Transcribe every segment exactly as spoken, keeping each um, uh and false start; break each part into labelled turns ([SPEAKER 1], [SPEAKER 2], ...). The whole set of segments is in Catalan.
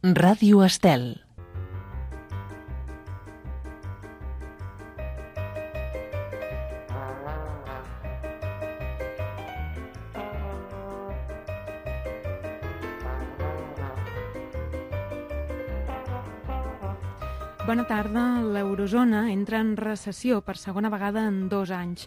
[SPEAKER 1] Ràdio Estel.
[SPEAKER 2] Bona tarda. L'eurozona entra en recessió per segona vegada en dos anys.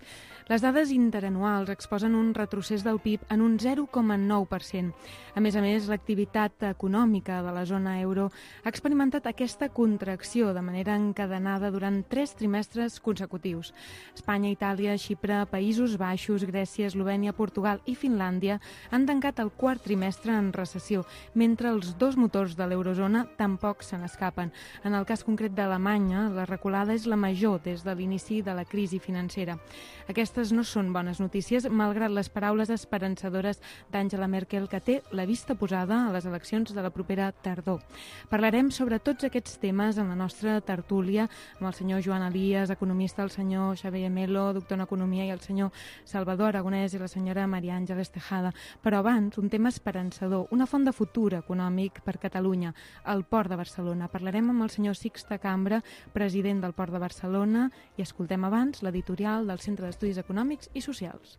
[SPEAKER 2] Les dades interanuals exposen un retrocés del P I B en un zero coma nou per cent. A més a més, l'activitat econòmica de la zona euro ha experimentat aquesta contracció de manera encadenada durant tres trimestres consecutius. Espanya, Itàlia, Xipre, Països Baixos, Grècia, Eslovènia, Portugal i Finlàndia han tancat el quart trimestre en recessió, mentre els dos motors de l'eurozona tampoc se n'escapen. En el cas concret d'Alemanya, la reculada és la major des de l'inici de la crisi financera. Aquestes no són bones notícies, malgrat les paraules esperançadores d'Angela Merkel, que té la vista posada a les eleccions de la propera tardor. Parlarem sobre tots aquests temes en la nostra tertúlia amb el senyor Joan Elias, economista, el senyor Xavier Melo, doctor en Economia, i el senyor Salvador Aragonès i la senyora Maria Àngels Tejada. Però abans, un tema esperançador, una font de futur econòmic per Catalunya, el Port de Barcelona. Parlarem amb el senyor Sixte Cambra, president del Port de Barcelona, i escoltem abans l'editorial del Centre d'Estudis Econòmics i Socials.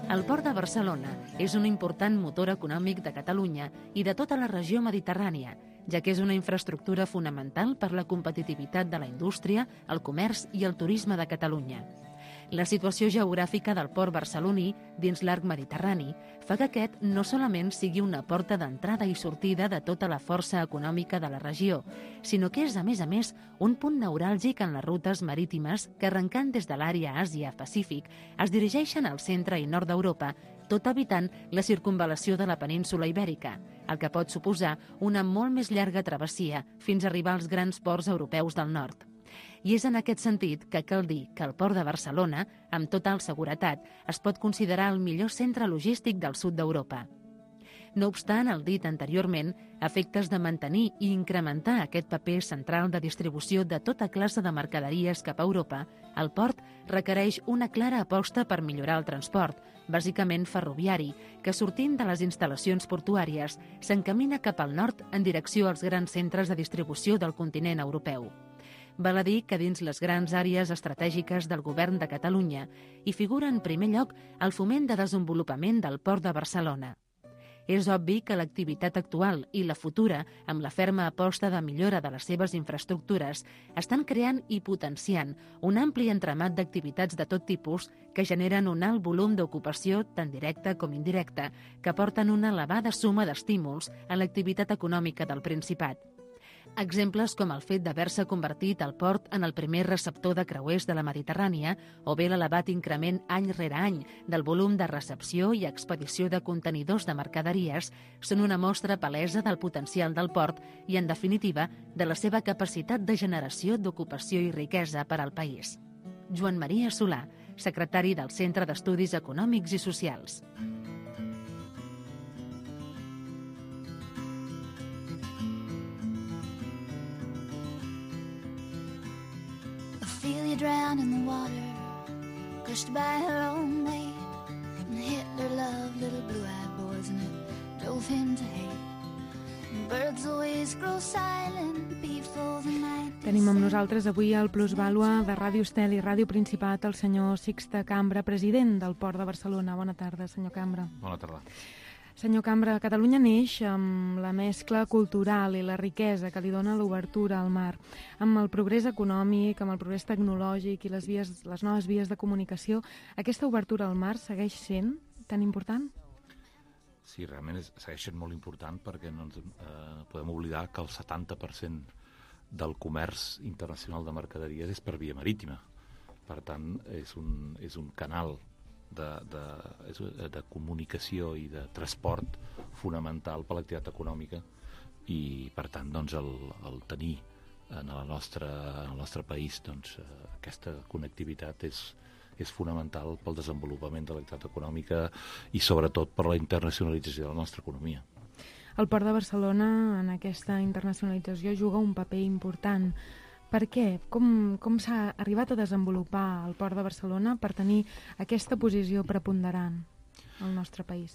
[SPEAKER 3] El Port de Barcelona és un important motor econòmic de Catalunya i de tota la regió mediterrània, ja que és una infraestructura fonamental per la competitivitat de la indústria, el comerç i el turisme de Catalunya. La situació geogràfica del port barceloní dins l'arc mediterrani fa que aquest no solament sigui una porta d'entrada i sortida de tota la força econòmica de la regió, sinó que és, a més a més, un punt neuràlgic en les rutes marítimes que, arrencant des de l'àrea Àsia-Pacífic, es dirigeixen al centre i nord d'Europa, tot evitant la circunvalació de la península Ibèrica, el que pot suposar una molt més llarga travessia fins a arribar als grans ports europeus del nord. I és en aquest sentit que cal dir que el Port de Barcelona, amb total seguretat, es pot considerar el millor centre logístic del sud d'Europa. No obstant, el dit anteriorment, a efectes de mantenir i incrementar aquest paper central de distribució de tota classe de mercaderies cap a Europa, el port requereix una clara aposta per millorar el transport, bàsicament ferroviari, que sortint de les instal·lacions portuàries s'encamina cap al nord en direcció als grans centres de distribució del continent europeu. Val a dir que dins les grans àrees estratègiques del govern de Catalunya hi figura en primer lloc el foment de desenvolupament del Port de Barcelona. És obvi que l'activitat actual i la futura, amb la ferma aposta de millora de les seves infraestructures, estan creant i potenciant un ampli entramat d'activitats de tot tipus que generen un alt volum d'ocupació tant directa com indirecta, que aporten una elevada suma d'estímuls a l'activitat econòmica del Principat. Exemples com el fet d'haver-se convertit el port en el primer receptor de creuers de la Mediterrània o bé l'elevat increment any rere any del volum de recepció i expedició de contenidors de mercaderies són una mostra palesa del potencial del port i, en definitiva, de la seva capacitat de generació d'ocupació i riquesa per al país. Joan Maria Solà, secretari del Centre d'Estudis Econòmics i Socials.
[SPEAKER 4] Feel you drown in the water, crushed by her own weight, and Hitler loved little blue-eyed boys, and it drove him to hate. Birds always grow silent before the night.
[SPEAKER 2] Tenim amb nosaltres avui al Plusvàlua de Ràdio Estel i Ràdio Principat el senyor Sixte Cambra, president del Port de Barcelona. Bona tarda, senyor Cambra.
[SPEAKER 5] Bona tarda.
[SPEAKER 2] Senyor Cambra, Catalunya neix amb la mescla cultural i la riquesa que li dona l'obertura al mar, amb el progrés econòmic, amb el progrés tecnològic i les, vies, les noves vies de comunicació. Aquesta obertura al mar segueix sent tan important?
[SPEAKER 5] Sí, realment és, segueix sent molt important perquè no ens eh, podem oblidar que el setanta per cent del comerç internacional de mercaderies és per via marítima. Per tant, és un, és un canal De, de, de comunicació i de transport fonamental per l'activitat econòmica i, per tant, doncs, el, el tenir en el nostre, en el nostre país doncs, aquesta connectivitat és, és fonamental pel desenvolupament de l'activitat econòmica i, sobretot, per la internacionalització de la nostra economia.
[SPEAKER 2] El Port de Barcelona, en aquesta internacionalització, juga un paper important. Per què? Com, com s'ha arribat a desenvolupar el Port de Barcelona per tenir aquesta posició preponderant al nostre país?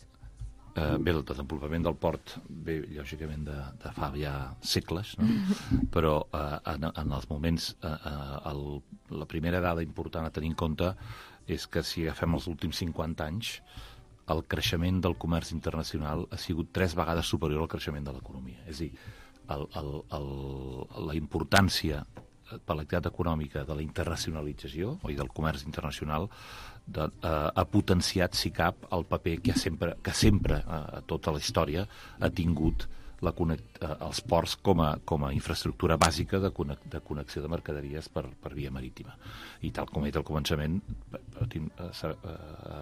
[SPEAKER 5] Eh, bé, el desenvolupament del port ve, lògicament, de, de fa ja segles, no? Però eh, en, en els moments, eh, el, la primera dada important a tenir en compte és que si agafem els últims cinquanta anys, el creixement del comerç internacional ha sigut tres vegades superior al creixement de l'economia. És a dir, el, el, el, la importància per l'activitat econòmica de la internacionalització i del comerç internacional de, eh, ha potenciat, si cap, el paper que, ha sempre, que sempre eh, a tota la història ha tingut la connect, eh, els ports com a, com a infraestructura bàsica de, conec, de connexió de mercaderies per, per via marítima. I tal com he dit al començament, eh, eh,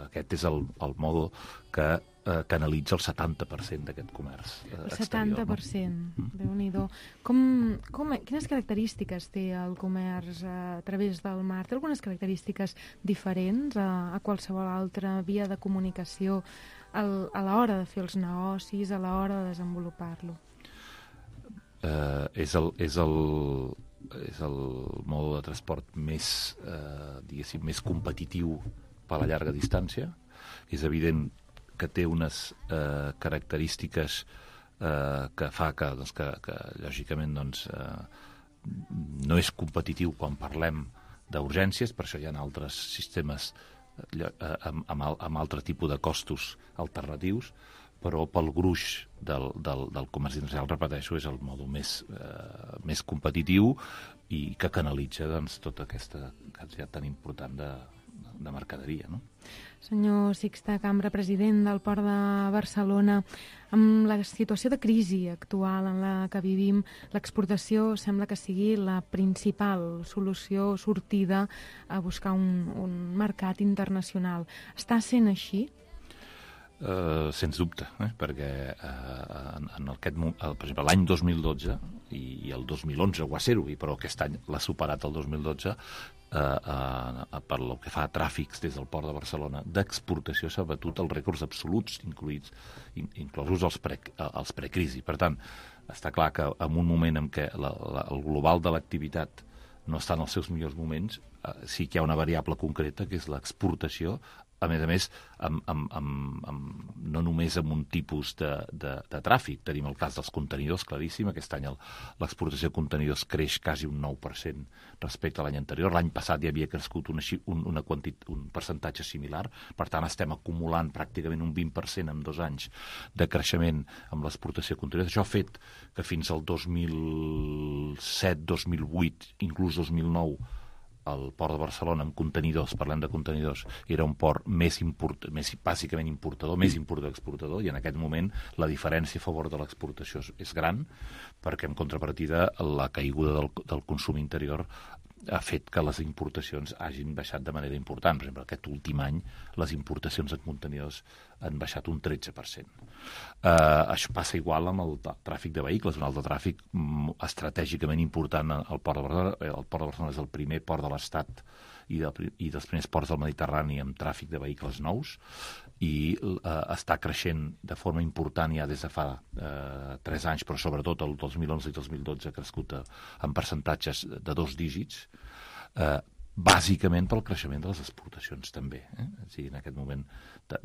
[SPEAKER 5] aquest és el, el mode que eh, canalitza el setanta per cent d'aquest comerç eh,
[SPEAKER 2] el setanta per cent,
[SPEAKER 5] no?
[SPEAKER 2] Déu-n'hi-do. Com, com, quines característiques té el comerç a través del mar? Té algunes característiques diferents a, a qualsevol altra via de comunicació al, a l'hora de fer els negocis, a l'hora de desenvolupar-lo?
[SPEAKER 5] Eh, és el... És el és el mode de transport més, eh, diguéssim, més competitiu per a la llarga distància. És evident que té unes eh, característiques eh, que fa que, doncs, que, que lògicament, doncs, eh, no és competitiu quan parlem d'urgències, per això hi ha altres sistemes eh, amb, amb, amb altre tipus de costos alternatius, però pel gruix del, del, del comerç internacional, repeteixo, és el mode més, eh, més competitiu i que canalitza, doncs, tota aquesta quantitat tan important de, de mercaderia, no?
[SPEAKER 2] Senyor Sixte Cambra, president del Port de Barcelona, amb la situació de crisi actual en la que vivim, l'exportació sembla que sigui la principal solució, sortida a buscar un, un mercat internacional. Està sent així?
[SPEAKER 5] Uh, sens dubte, eh? perquè uh, en, en aquest, uh, per exemple, l'any dos mil dotze i, i el dos mil onze ho va ser-ho, però aquest any l'ha superat el dos mil dotze, uh, uh, per lo que fa a tràfics des del Port de Barcelona d'exportació s'ha batut els rècords absoluts, incluïts, in, inclosos els, pre, els precrisi. Per tant, està clar que en un moment en què la, la, el global de l'activitat no està en els seus millors moments, uh, sí que hi ha una variable concreta, que és l'exportació, a més a més, amb, amb, amb, amb, no només amb un tipus de, de, de tràfic. Tenim el cas dels contenidors, claríssim. Aquest any l'exportació de contenidors creix quasi un nou per cent respecte a l'any anterior. L'any passat ja havia crescut una, un, una quantit, un percentatge similar. Per tant, estem acumulant pràcticament un vint per cent en dos anys de creixement amb l'exportació de contenidors. Això ha fet que fins al dos mil set, dos mil vuit, inclús dos mil nou, el Port de Barcelona, amb contenidors, parlem de contenidors, era un port més, import, més bàsicament importador, més importador que exportador, i en aquest moment la diferència a favor de l'exportació és gran, perquè en contrapartida la caiguda del, del consum interior ha fet que les importacions hagin baixat de manera important. Per exemple, aquest últim any les importacions en contenidors han baixat un tretze per cent. Uh, això passa igual amb el tràfic de vehicles, un altre tràfic estratègicament important al Port de Barcelona. El Port de Barcelona és el primer port de l'Estat i, de, i dels primers ports del Mediterrani amb tràfic de vehicles nous, i uh, està creixent de forma important ja des de fa uh, tres anys, però sobretot el dos mil onze i dos mil dotze ha crescut a, en percentatges de dos dígits, uh, bàsicament pel creixement de les exportacions també. Eh? O sigui, en aquest moment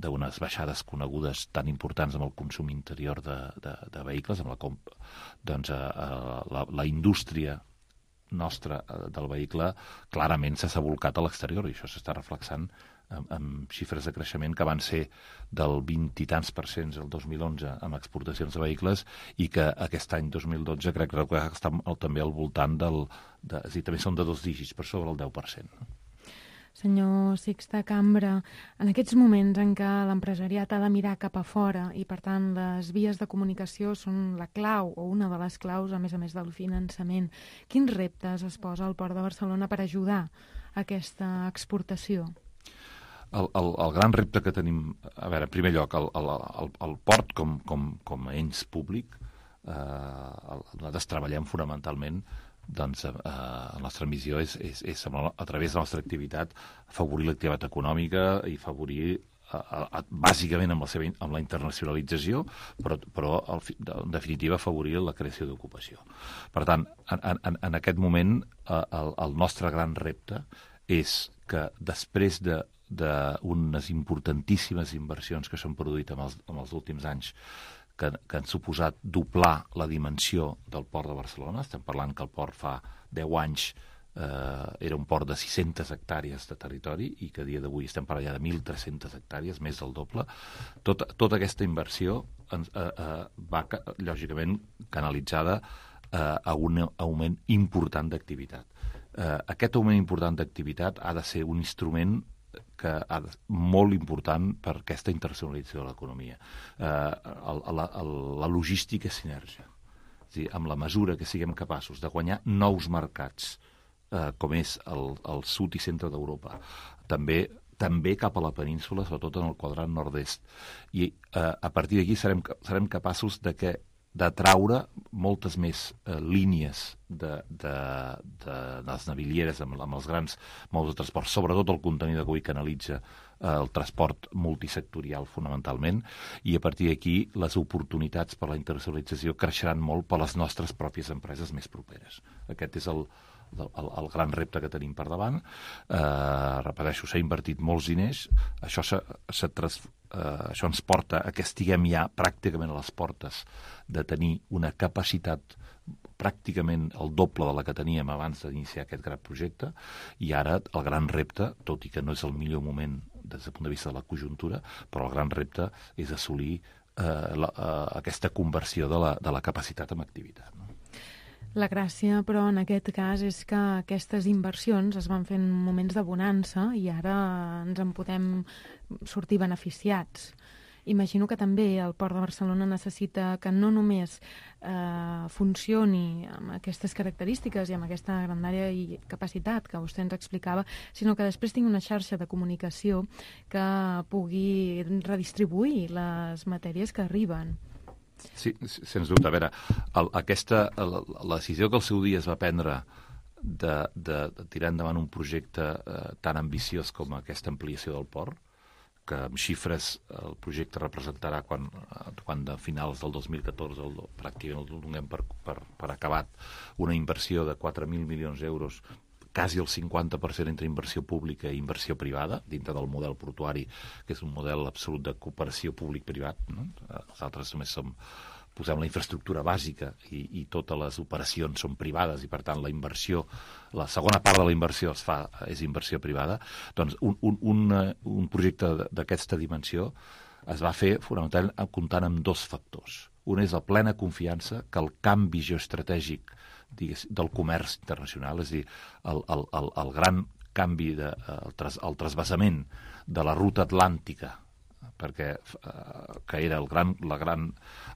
[SPEAKER 5] d'unes baixades conegudes tan importants amb el consum interior de, de, de vehicles, amb la, comp doncs, uh, la, la indústria nostra del vehicle clarament s'ha volcat a l'exterior, i això s'està reflexant amb, amb xifres de creixement que van ser del vint i tants per cents el dos mil onze amb exportacions de vehicles, i que aquest any dos mil dotze crec que està també al voltant del... De, és a dir, també són de dos dígits per sobre el deu per cent.
[SPEAKER 2] Senyor Sixte Cambra, en aquests moments en què l'empresariat ha de mirar cap a fora i, per tant, les vies de comunicació són la clau o una de les claus, a més a més del finançament, quins reptes es posa al Port de Barcelona per ajudar a aquesta exportació?
[SPEAKER 5] El, el, el gran repte que tenim, a veure, en primer lloc, el, el, el, el port com, com, com a ens públic, eh, nosaltres treballem fonamentalment, doncs eh, la nostra missió és, és, és a través de la nostra activitat afavorir l'activitat econòmica i afavorir a, a, bàsicament amb la, seva, amb la internacionalització, però, però al, en definitiva afavorir la creació d'ocupació. Per tant, en, en, en aquest moment eh, el, el nostre gran repte és que després de d'unes importantíssimes inversions que s'han produït en els, en els últims anys que, que han suposat doblar la dimensió del port de Barcelona. Estem parlant que el port fa deu anys eh, era un port de sis-centes hectàrees de territori i que a dia d'avui estem parlant ja de mil tres-centes hectàrees, més del doble. Tot, tota aquesta inversió eh, eh, va, lògicament, canalitzada eh, a un augment important d'activitat. Eh, aquest augment important d'activitat ha de ser un instrument que ha de, molt important per aquesta internacionalització de l'economia. Eh, la, la logística és sinergia. És dir, amb la mesura que siguem capaços de guanyar nous mercats, eh, com és el, el sud i centre d'Europa, també també cap a la península, sobretot en el quadrant nord-est. I eh, a partir d'aquí serem, serem capaços de que d'atraure moltes més eh, línies de, de, de, de les navilieres amb, amb els grans modes de transport, sobretot el contenidor que avui canalitza eh, el transport multisectorial fonamentalment, i a partir d'aquí les oportunitats per la internacionalització creixeran molt per les nostres pròpies empreses més properes. Aquest és el, el, el gran repte que tenim per davant. Eh, repeteixo, s'ha invertit molts diners, això s'ha transformat. Uh, això ens porta a que estiguem ja pràcticament a les portes de tenir una capacitat pràcticament el doble de la que teníem abans d'iniciar aquest gran projecte, i ara el gran repte, tot i que no és el millor moment des del punt de vista de la conjuntura, però el gran repte és assolir uh, la, uh, aquesta conversió de la, de la capacitat en activitat, no?
[SPEAKER 2] La gràcia, però, en aquest cas és que aquestes inversions es van fer en moments de bonança i ara ens en podem sortir beneficiats. Imagino que també el Port de Barcelona necessita que no només eh, funcioni amb aquestes característiques i amb aquesta grandària i capacitat que vostè ens explicava, sinó que després tingui una xarxa de comunicació que pugui redistribuir les matèries que arriben.
[SPEAKER 5] Sí, sens dubte. A veure, el, aquesta, la, la decisió que al seu dia es va prendre de, de, de tirar endavant un projecte eh, tan ambiciós com aquesta ampliació del port, que amb xifres el projecte representarà quan, quan de finals del dos mil catorze el, pràcticament el donem per, per, per acabat, una inversió de quatre mil milions d'euros, quasi el cinquanta per cent entre inversió pública i inversió privada, dintre del model portuari, que és un model absolut de cooperació públic-privat, no? Nosaltres només som, posem la infraestructura bàsica i, i totes les operacions són privades i, per tant, la inversió, la segona part de la inversió es fa, és inversió privada. Doncs un, un, un, un projecte d'aquesta dimensió es va fer fonamentalment comptant amb dos factors. Un és la plena confiança que el canvi geoestratègic del comerç internacional, és a dir, el, el, el, el gran canvi, de, el, tras, el trasbassament de la ruta atlàntica, perquè eh, que era el gran, la, gran,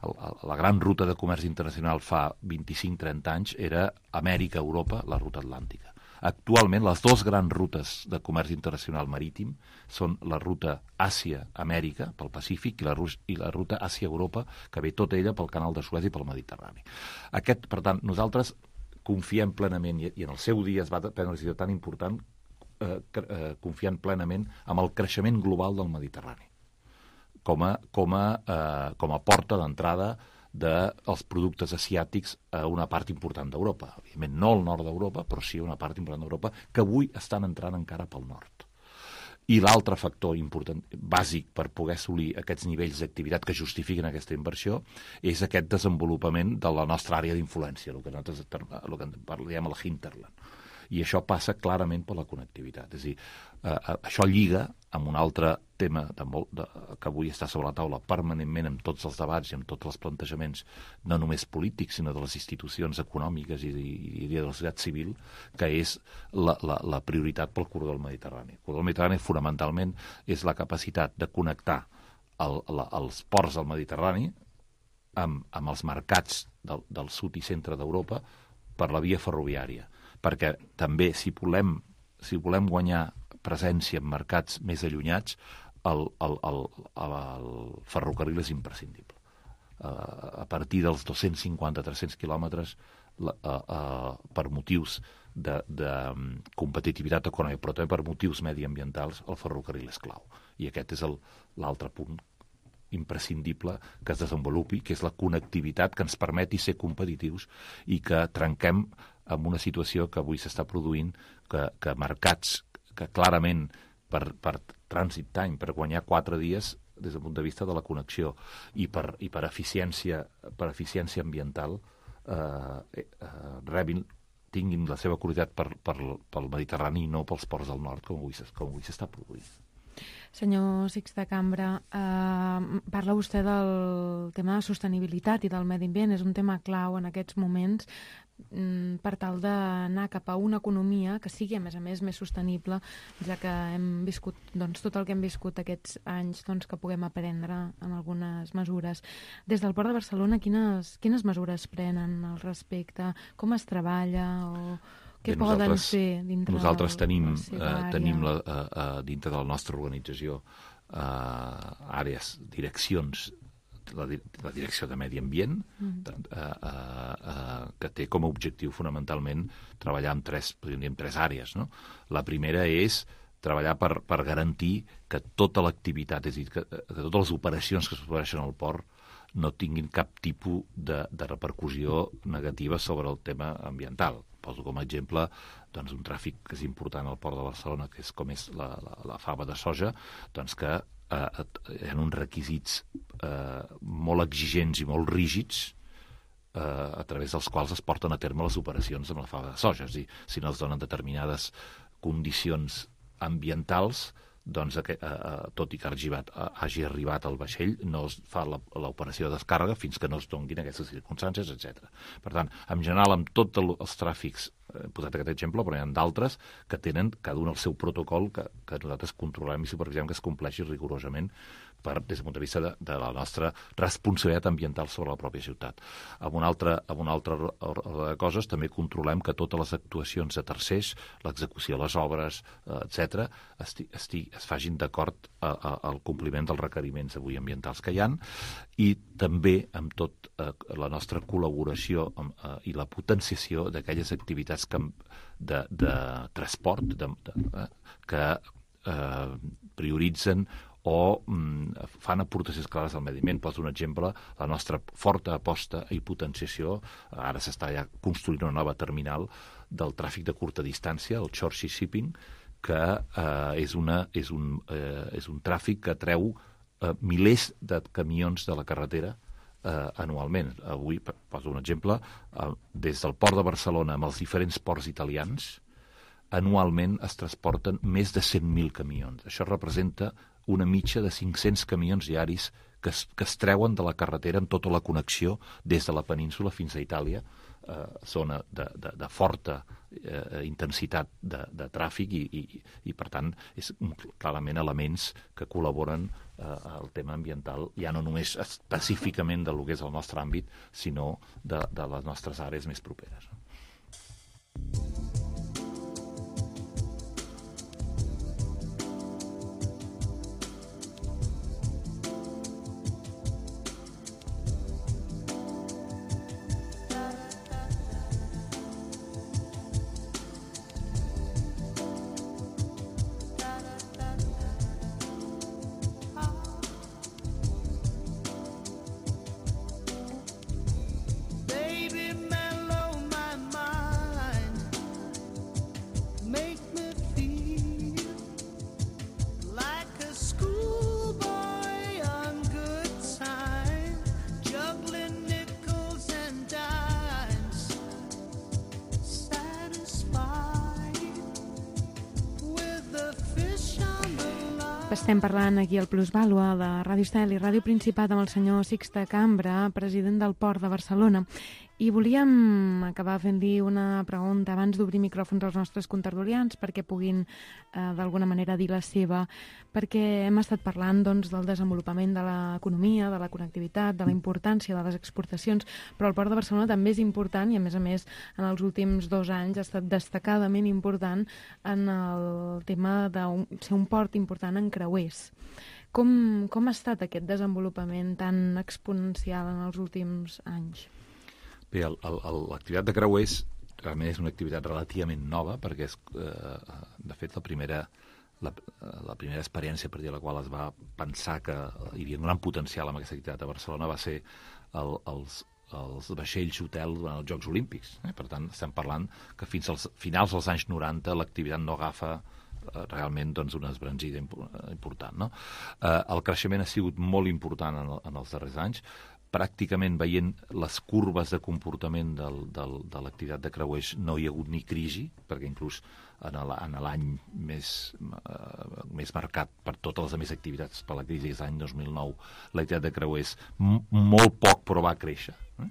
[SPEAKER 5] el, la gran ruta de comerç internacional fa vint-i-cinc trenta anys, era Amèrica-Europa, la ruta atlàntica. Actualment, les dues grans rutes de comerç internacional marítim són la ruta Àsia-Amèrica, pel Pacífic, i la, i la ruta Àsia-Europa, que ve tota ella pel canal de Suez i pel Mediterrani. Aquest, per tant, nosaltres confiem plenament, i en el seu dia es va prendre una decisió tan important, eh, eh, confiant plenament amb el creixement global del Mediterrani, com a, com a, eh, com a porta d'entrada dels productes asiàtics a una part important d'Europa. Evidentment, no al nord d'Europa, però sí una part important d'Europa, que avui estan entrant encara pel nord. I l'altre factor important, bàsic per poder assolir aquests nivells d'activitat que justifiquen aquesta inversió, és aquest desenvolupament de la nostra àrea d'influència, el que nosaltres el que parlem el hinterland. I això passa clarament per la connectivitat. És a dir, eh, això lliga amb un altre tema de molt, de, que avui està sobre la taula permanentment amb tots els debats i amb tots els plantejaments, no només polítics, sinó de les institucions econòmiques i, i, i de la societat civil, que és la, la, la prioritat pel corredor del Mediterrani. El corredor del Mediterrani fonamentalment és la capacitat de connectar el, la, els ports del Mediterrani amb, amb els mercats del, del sud i centre d'Europa per la via ferroviària, perquè també si volem, si volem guanyar presència en mercats més allunyats, el, el, el, el ferrocarril és imprescindible. Uh, a partir dels dos-cents cinquanta a tres-cents quilòmetres, la, uh, uh, per motius de, de um, competitivitat econòmica, però també per motius mediambientals, el ferrocarril és clau. I aquest és l'altre punt imprescindible que es desenvolupi, que és la connectivitat que ens permeti ser competitius i que trenquem amb una situació que avui s'està produint, que, que mercats que clarament per, per trànsit time, per guanyar quatre dies des del punt de vista de la connexió i per, i per, eficiència, per eficiència ambiental eh, eh, rebin, tinguin la seva qualitat per, per, pel Mediterrani i no pels ports del nord, com avui, com avui s'està produint.
[SPEAKER 2] Senyor Sixte Cambra, eh, parla vostè del tema de sostenibilitat i del medi ambient. És un tema clau en aquests moments mm, per tal d'anar cap a una economia que sigui, a més a més, més sostenible, ja que hem viscut doncs, tot el que hem viscut aquests anys, doncs, que puguem aprendre en algunes mesures. Des del Port de Barcelona, quines, quines mesures prenen al respecte? Com es treballa? O... Què
[SPEAKER 5] Bé,
[SPEAKER 2] poden fer dintre
[SPEAKER 5] nosaltres tenim,
[SPEAKER 2] la seva
[SPEAKER 5] eh,
[SPEAKER 2] àrea?
[SPEAKER 5] tenim la, eh, eh, dintre de la nostra organització eh, àrees, direccions, la, la direcció de Medi Ambient, mm. eh, eh, eh, que té com a objectiu fonamentalment treballar en tres, podríem dir, en tres àrees. No? La primera és treballar per, per garantir que tota l'activitat, és a dir, que, que totes les operacions que es produeixen al port no tinguin cap tipus de, de repercussió negativa sobre el tema ambiental. Poso com a exemple doncs, un tràfic que és important al Port de Barcelona, que és com és la, la, la fava de soja, doncs que eh, hi ha uns requisits eh, molt exigents i molt rígids eh, a través dels quals es porten a terme les operacions amb la fava de soja. És a dir, si no es donen determinades condicions ambientals, doncs, eh, eh, tot i que hagi arribat, hagi arribat al vaixell, no es fa l'operació de descàrrega fins que no es donguin aquestes circumstàncies, etcètera. Per tant, en general, amb tots els tràfics, he posat aquest exemple, però hi ha d'altres que tenen cada un el seu protocol que, que nosaltres controlem i supervisem que es compleixi rigorosament per, des del punt de vista de, de la nostra responsabilitat ambiental sobre la pròpia ciutat. Amb una altra, amb una altra ordre de coses, també controlem que totes les actuacions de tercers, l'execució de les obres, eh, etcètera, esti, esti, es fagin d'acord al compliment dels requeriments avui ambientals que hi ha, i també amb tot eh, la nostra col·laboració amb, eh, i la potenciació d'aquelles activitats que, de, de transport de, de, eh, que eh, prioritzen o mm, fan aportacions clares al medi ambient. Poso un exemple, la nostra forta aposta i potenciació, ara s'està ja construint una nova terminal del tràfic de curta distància, el short sea shipping, que eh, és, una, és, un, eh, és un tràfic que treu eh, milers de camions de la carretera eh, anualment. Avui, poso un exemple, eh, des del Port de Barcelona amb els diferents ports italians, anualment es transporten més de cent mil camions. Això representa una mitja de cinc-cents camions diaris que es, que es treuen de la carretera amb tota la connexió des de la península fins a Itàlia, eh, zona de, de, de forta eh, intensitat de, de tràfic i, i, i, per tant, és clarament elements que col·laboren eh, al tema ambiental, ja no només específicament del que és el nostre àmbit, sinó de, de les nostres àrees més properes.
[SPEAKER 2] Estem parlant aquí al Plusvàlua de Ràdio Estel i Ràdio Principat amb el senyor Sixte Cambra, president del Port de Barcelona. I volíem acabar fent-li una pregunta abans d'obrir micròfons als nostres contertulians perquè puguin eh, d'alguna manera dir la seva, perquè hem estat parlant doncs, del desenvolupament de l'economia, de la connectivitat, de la importància de les exportacions, però el Port de Barcelona també és important i, a més a més, en els últims dos anys ha estat destacadament important en el tema de ser un port important en creuers. Com, com ha estat aquest desenvolupament tan exponencial en els últims anys?
[SPEAKER 5] Bé, l'activitat de creuers realment és una activitat relativament nova perquè és, eh, de fet, la primera la, la primera experiència per dir la qual es va pensar que hi havia un gran potencial amb aquesta activitat a Barcelona va ser el, els, els vaixells hotel durant els Jocs Olímpics. Eh? Per tant, estem parlant que fins als finals dels anys noranta l'activitat no agafa eh, realment doncs, una esbranzida important. No? Eh, el creixement ha sigut molt important en, en els darrers anys, pràcticament veient les curves de comportament del, del, de l'activitat de creuers no hi ha hagut ni crisi, perquè inclús en l'any més, uh, més marcat per totes les altres activitats per la crisi, és l'any dos mil nou, l'activitat de creuers m- molt poc però va créixer. Eh?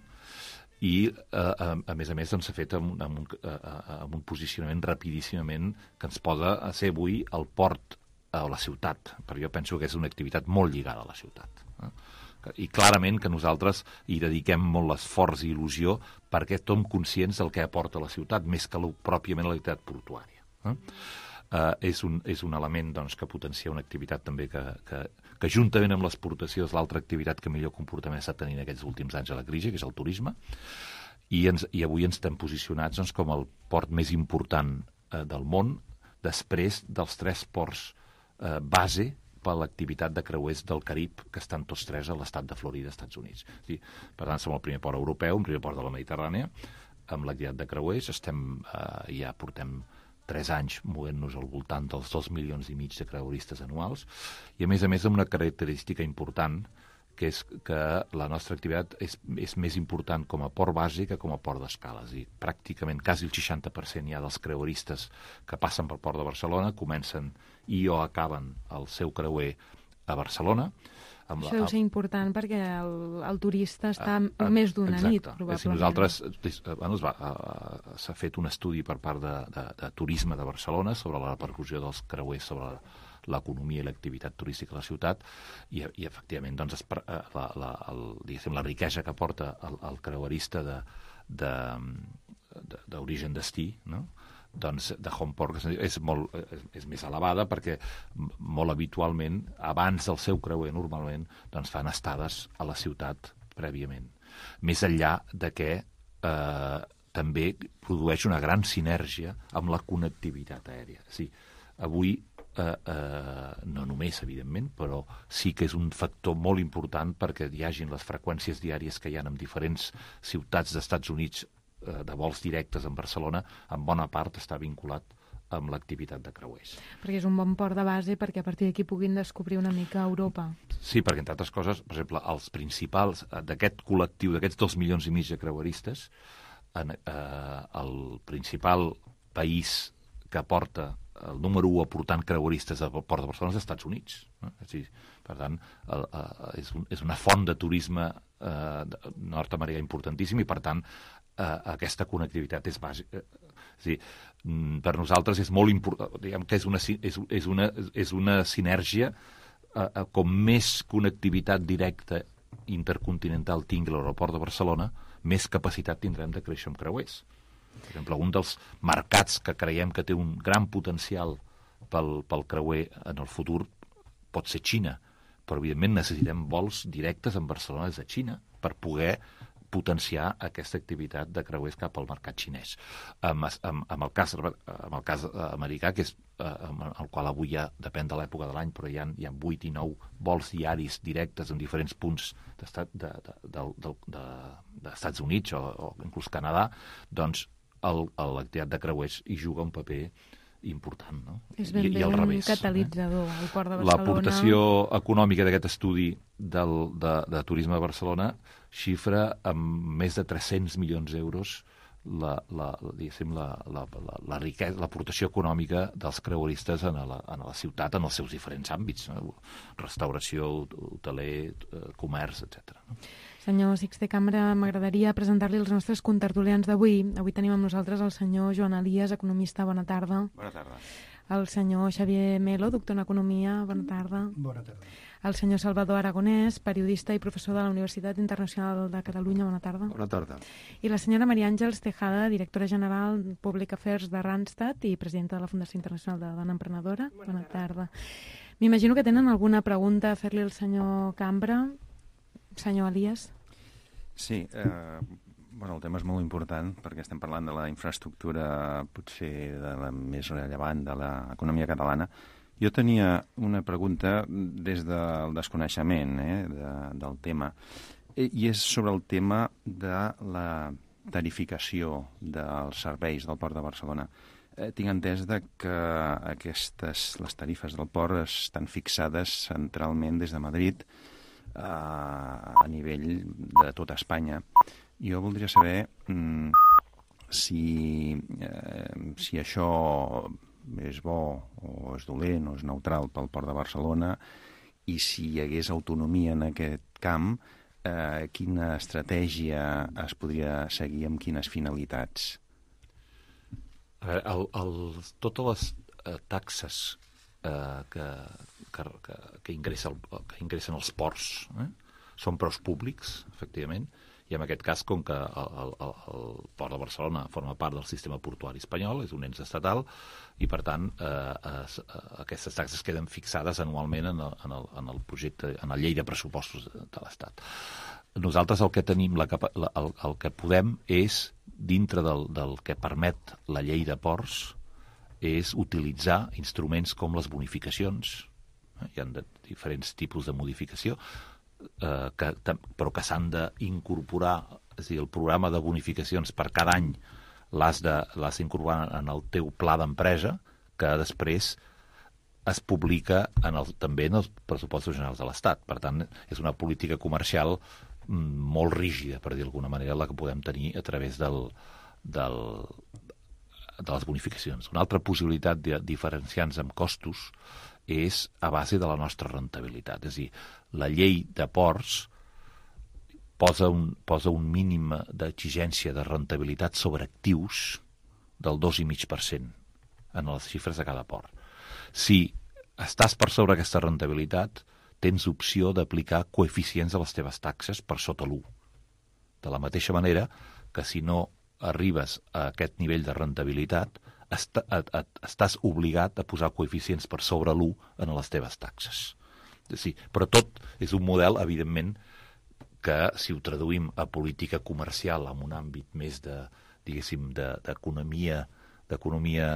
[SPEAKER 5] I, uh, a, a més a més, doncs, s'ha fet amb, amb, un, uh, amb un posicionament rapidíssimament que ens posa a ser avui el port a la ciutat, perquè jo penso que és una activitat molt lligada a la ciutat. Eh? I clarament que nosaltres hi dediquem molt l'esforç i il·lusió perquè som conscients del que aporta la ciutat, més que pròpiament l'activitat portuària. Eh? Uh, és, un, és un element doncs, que potencia una activitat també que, que, que juntament amb l'exportació és l'altra activitat que millor comportament està tenint aquests últims anys a la crisi, que és el turisme, i, ens, i avui ens estem posicionats doncs, com el port més important eh, del món, després dels tres ports eh, base per l'activitat de creuers del Carib, que estan tots tres a l'estat de Florida, Estats Units. Sí, per tant, som el primer port europeu, el primer port de la Mediterrània, amb l'activitat de creuers. Estem, eh, ja portem tres anys movent-nos al voltant dels dos milions i mig de creueristes anuals, i a més a més amb una característica important, que és que la nostra activitat és, és més important com a port base que com a port d'escala. És a dir, pràcticament quasi el seixanta per cent ja dels creueristes que passen pel port de Barcelona comencen i o acaben el seu creuer a Barcelona.
[SPEAKER 2] Amb la, Això deu ser important perquè el, el turista està a, a, més d'una nit, probablement.
[SPEAKER 5] Si nosaltres, bueno, s'ha fet un estudi per part de, de, de Turisme de Barcelona sobre la repercussió dels creuers sobre l'economia i l'activitat turística a la ciutat, i, i efectivament doncs, es, la, la, el, diguéssim, la riquesa que porta el, el creuerista de, de, de, d'origen destí, no? Doncs de Homeport és, molt, és, és més elevada perquè molt habitualment, abans del seu creuer normalment, doncs fan estades a la ciutat prèviament. Més enllà de que eh, també produeix una gran sinergia amb la connectivitat aèria. Sí, avui, eh, eh, no només, evidentment, però sí que és un factor molt important perquè hi hagin les freqüències diàries que hi ha en diferents ciutats d'Estats Units de vols directes en Barcelona, en bona part està vinculat amb l'activitat de creuers.
[SPEAKER 2] Perquè és un bon port de base perquè a partir d'aquí puguin descobrir una mica Europa.
[SPEAKER 5] Sí, perquè entre altres coses, per exemple, els principals d'aquest col·lectiu, d'aquests dos milions i mig de creueristes, en, eh, el principal país que porta el número u aportant creueristes al port de Barcelona és els Estats Units. No? És dir, per tant, el, el, és, un, és una font de turisme eh, nord-americà importantíssim i, per tant, Uh, aquesta connectivitat és bàsica. És dir, per nosaltres és molt important, diguem que és una, és, és una, és una sinergia, uh, uh, com més connectivitat directa intercontinental tingui l'aeroport de Barcelona, més capacitat tindrem de créixer amb creuers. Per exemple, un dels mercats que creiem que té un gran potencial pel, pel creuer en el futur pot ser Xina, però evidentment necessitem vols directes en Barcelona des de Xina per poder potenciar aquesta activitat de creuers cap al mercat xinès. Amb, amb, amb, el, cas, amb el cas americà, que és amb el qual avui ja depèn de l'època de l'any, però hi ha, hi ha vuit i nou vols diaris directes en diferents punts d'estat, de, de, de, de, de, d'Estats Units o, o inclús Canadà, doncs el, l'activitat de creuers hi juga un paper important, no?
[SPEAKER 2] És ben bé un revés, catalitzador, eh? El port de Barcelona.
[SPEAKER 5] L'aportació econòmica d'aquest estudi del, de, de turisme de Barcelona xifra amb més de tres-cents milions d'euros la, la, diguéssim, la, la, la, la riquesa, l'aportació econòmica dels creueristes en la, en la ciutat en els seus diferents àmbits, no? Restauració, hoteler, comerç, etcètera. No?
[SPEAKER 2] Senyor Sixte Cambra, m'agradaria presentar-li els nostres contertulians d'avui. Avui tenim amb nosaltres el senyor Joan Elias, economista, bona tarda.
[SPEAKER 1] Bona tarda.
[SPEAKER 2] El senyor Xavier Melo, doctor en economia, bona tarda.
[SPEAKER 6] Bona tarda.
[SPEAKER 2] El senyor Salvador Aragonès, periodista i professor de la Universitat Internacional de Catalunya, bona tarda.
[SPEAKER 1] Bona tarda.
[SPEAKER 2] I la senyora Maria Àngels Tejada, directora general Public Affairs de Randstad i presidenta de la Fundació Internacional de Dona Emprenedora, bona, bona tarda. M'imagino que tenen alguna pregunta a fer-li al senyor Cambra. Senyor Elias.
[SPEAKER 1] Sí, eh, bueno, el tema és molt important perquè estem parlant de la infraestructura potser de la més rellevant de l'economia catalana, Jo tenia una pregunta des del desconeixement eh, de, del tema, i és sobre el tema de la tarificació dels serveis del Port de Barcelona. Eh, tinc entès de que aquestes, les tarifes del port estan fixades centralment des de Madrid eh, a nivell de tota Espanya. Jo voldria saber mm, si, eh, si això és bo o és dolent o és neutral pel Port de Barcelona, i si hi hagués autonomia en aquest camp, eh, quina estratègia es podria seguir amb quines finalitats?
[SPEAKER 5] El, el, totes les eh, taxes eh, que, que, que, que, ingressa el, que ingressen els ports eh, són preus públics, efectivament, i en aquest cas, com que el, el, el Port de Barcelona forma part del sistema portuari espanyol, és un ens estatal, i per tant eh, es, eh, aquestes taxes queden fixades anualment en el, en el, en el projecte, en la llei de pressupostos de, de l'Estat. Nosaltres el que tenim, la, la, el, el que podem és, dintre del, del que permet la llei de ports, és utilitzar instruments com les bonificacions. Eh? Hi ha de, diferents tipus de modificació, eh, que, però que s'han d'incorporar, és a dir, el programa de bonificacions per cada any l'has d'incorporar en el teu pla d'empresa, que després es publica en el, també en els pressupostos generals de l'Estat. Per tant, és una política comercial molt rígida, per dir d'alguna manera, la que podem tenir a través del, del, de les bonificacions. Una altra possibilitat de diferenciar-nos amb costos és a base de la nostra rentabilitat. És a dir, la llei de ports posa un, posa un mínim d'exigència de rentabilitat sobre actius del dos coma cinc per cent en les xifres de cada port. Si estàs per sobre aquesta rentabilitat, tens opció d'aplicar coeficients a les teves taxes per sota l'u. De la mateixa manera que si no arribes a aquest nivell de rentabilitat, est et, et, estàs obligat a posar coeficients per sobre l'u en les teves taxes. Sí, però tot és un model, evidentment, que si ho traduïm a política comercial en un àmbit més de, diguéssim, d'economia d'economia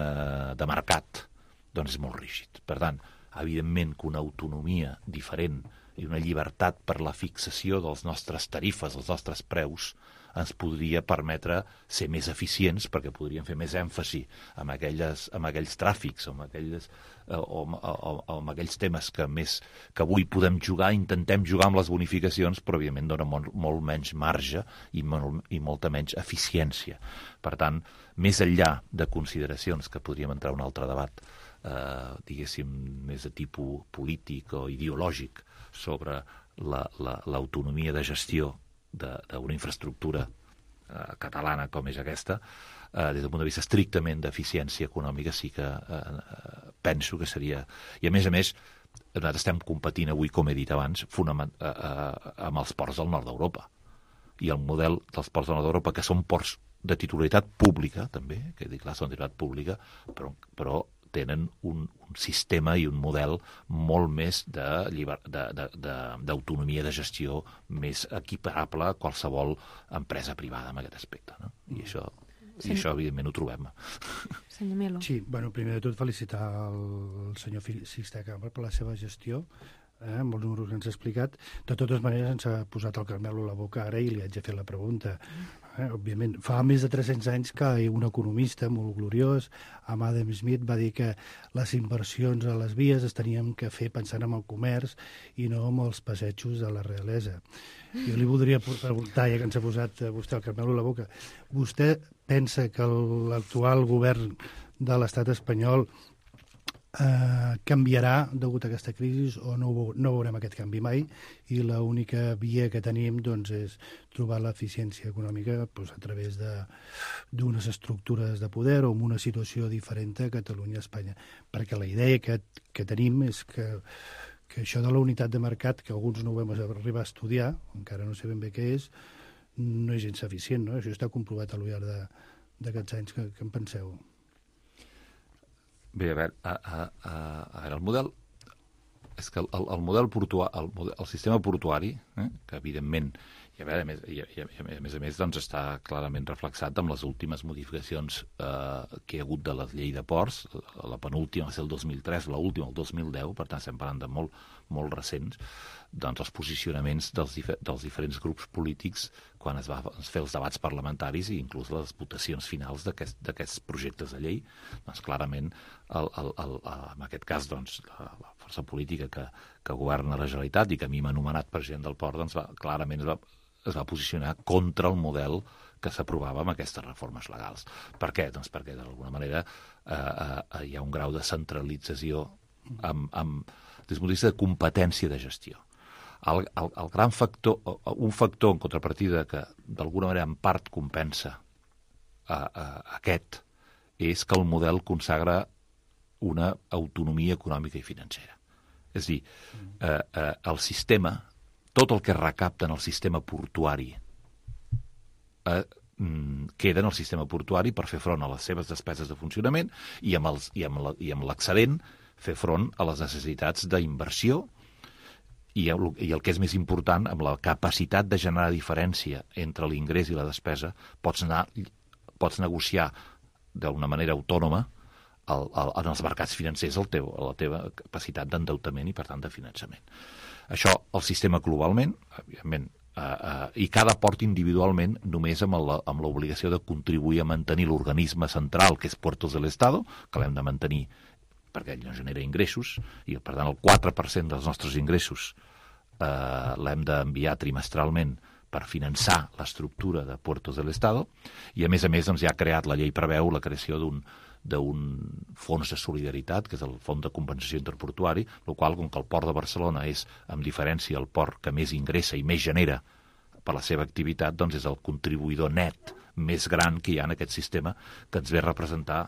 [SPEAKER 5] de mercat, doncs és molt rígid. Per tant, evidentment que una autonomia diferent i una llibertat per la fixació dels nostres tarifes, dels nostres preus, ens podria permetre ser més eficients, perquè podríem fer més èmfasi en, aquelles, en aquells tràfics o en aquells, o, o, o, o en aquells temes que, més, que avui podem jugar, intentem jugar amb les bonificacions, però evidentment dona molt, molt menys marge i, molt, i molta menys eficiència. Per tant, més enllà de consideracions que podríem entrar a un altre debat, eh, diguéssim, més de tipus polític o ideològic sobre l'autonomia de gestió d'una infraestructura eh, catalana com és aquesta, eh, des del punt de vista estrictament d'eficiència econòmica, sí que eh, penso que seria... I a més a més, nosaltres estem competint avui, com he dit abans, fonament, eh, eh, amb els ports del nord d'Europa. I el model dels ports del nord d'Europa, que són ports de titularitat pública, també, que dic, clar, són de titularitat pública, però, però tenen un, un sistema i un model molt més d'autonomia de, de, de, de gestió més equiparable a qualsevol empresa privada en aquest aspecte. No? I, això, sí. I això, evidentment, ho trobem.
[SPEAKER 2] Senyor Melo.
[SPEAKER 6] Sí, bueno, primer de tot felicitar el senyor Sixte Cambra per la seva gestió, eh, amb els números que ens ha explicat. De totes maneres, ens ha posat el Carmelo a la boca ara i li haig de fer la pregunta. Eh, òbviament, fa més de tres-cents anys que un economista molt gloriós, Adam Smith, va dir que les inversions a les vies es tenien que fer pensant en el comerç i no en els passejos de la realesa. Jo li voldria preguntar, ja que ens ha posat vostè el Carmelo a la boca, vostè pensa que l'actual govern de l'estat espanyol eh, canviarà degut a aquesta crisi o no, no veurem aquest canvi mai i l'única via que tenim doncs, és trobar l'eficiència econòmica doncs, a través d'unes estructures de poder o amb una situació diferent a Catalunya i Espanya. Perquè la idea que, que tenim és que, que això de la unitat de mercat, que alguns no ho vam arribar a estudiar, encara no sé ben bé què és, no és gens eficient, no? Això està comprovat al llarg d'aquests anys. Que, que en penseu?
[SPEAKER 5] Bé, a veure, a, a, a, a veure el model... És que el, el model portuari, el, el sistema portuari, eh, que evidentment hi I a, veure, a, més, i, a, a més a més doncs, està clarament reflexat amb les últimes modificacions eh, que hi ha hagut de la llei de ports. La penúltima va ser el dos mil tres, l'última el dos mil deu, per tant estem parlant de molt, molt recents, doncs els posicionaments dels, dif dels diferents grups polítics quan es va fer els debats parlamentaris i inclús les votacions finals d'aquests aquest, projectes de llei, doncs clarament el, el, el, en aquest cas doncs, la, la força política que, que governa la Generalitat i que a mi m'ha anomenat president del port, doncs va, clarament es va es va posicionar contra el model que s'aprovava amb aquestes reformes legals. Per què? Doncs perquè, d'alguna manera, eh, eh, hi ha un grau de centralització amb, amb, des del punt de vista de competència de gestió. El, el, el gran factor, un factor en contrapartida que, d'alguna manera, en part compensa eh, eh, aquest, és que el model consagra una autonomia econòmica i financera. És a dir, eh, eh, el sistema tot el que es recapta en el sistema portuari eh, queda en el sistema portuari per fer front a les seves despeses de funcionament i amb els, i amb la, i amb l'excedent fer front a les necessitats d'inversió i, i el que és més important, amb la capacitat de generar diferència entre l'ingrés i la despesa, pots, anar, pots negociar d'una manera autònoma el, el, en els mercats financers el teu, la teva capacitat d'endeutament i, per tant, de finançament. Això, el sistema globalment, evidentment, eh, eh, i cada port individualment, només amb l'obligació de contribuir a mantenir l'organisme central, que és Puertos del Estado, que l'hem de mantenir perquè ell no genera ingressos, i per tant el quatre per cent dels nostres ingressos eh, l'hem d'enviar trimestralment per finançar l'estructura de Puertos del Estado, i a més a més doncs, ja ha creat, la llei preveu la creació d'un d'un fons de solidaritat, que és el Fons de Compensació Interportuari, el qual, com que el port de Barcelona és, amb diferència, el port que més ingressa i més genera per la seva activitat, doncs és el contribuïdor net més gran que hi ha en aquest sistema, que ens ve a representar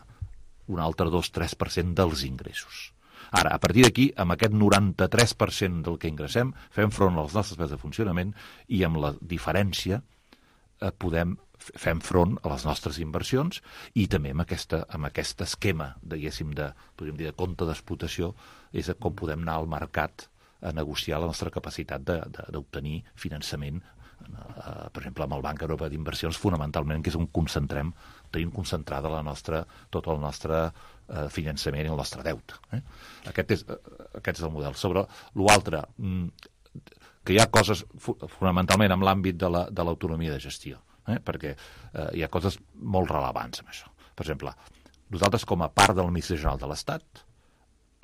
[SPEAKER 5] un altre dos a tres per cent dels ingressos. Ara, a partir d'aquí, amb aquest noranta-tres per cent del que ingressem, fem front a les nostres despeses de funcionament i amb la diferència eh, podem fem front a les nostres inversions i també amb, aquesta, amb aquest esquema, diguéssim, de, podríem dir, de compte d'explotació, és com podem anar al mercat a negociar la nostra capacitat d'obtenir finançament, eh, per exemple, amb el Banc Europeu d'Inversions, fonamentalment, que és on concentrem, tenim concentrada la nostra, tot el nostre eh, finançament i el nostre deute. Eh? Aquest, és, eh, aquest és el model. Sobre l'altre, que hi ha coses, fonamentalment, en l'àmbit de l'autonomia la, de gestió, Eh? perquè eh, hi ha coses molt rellevants amb això. Per exemple, nosaltres com a part de l'Administració General de l'Estat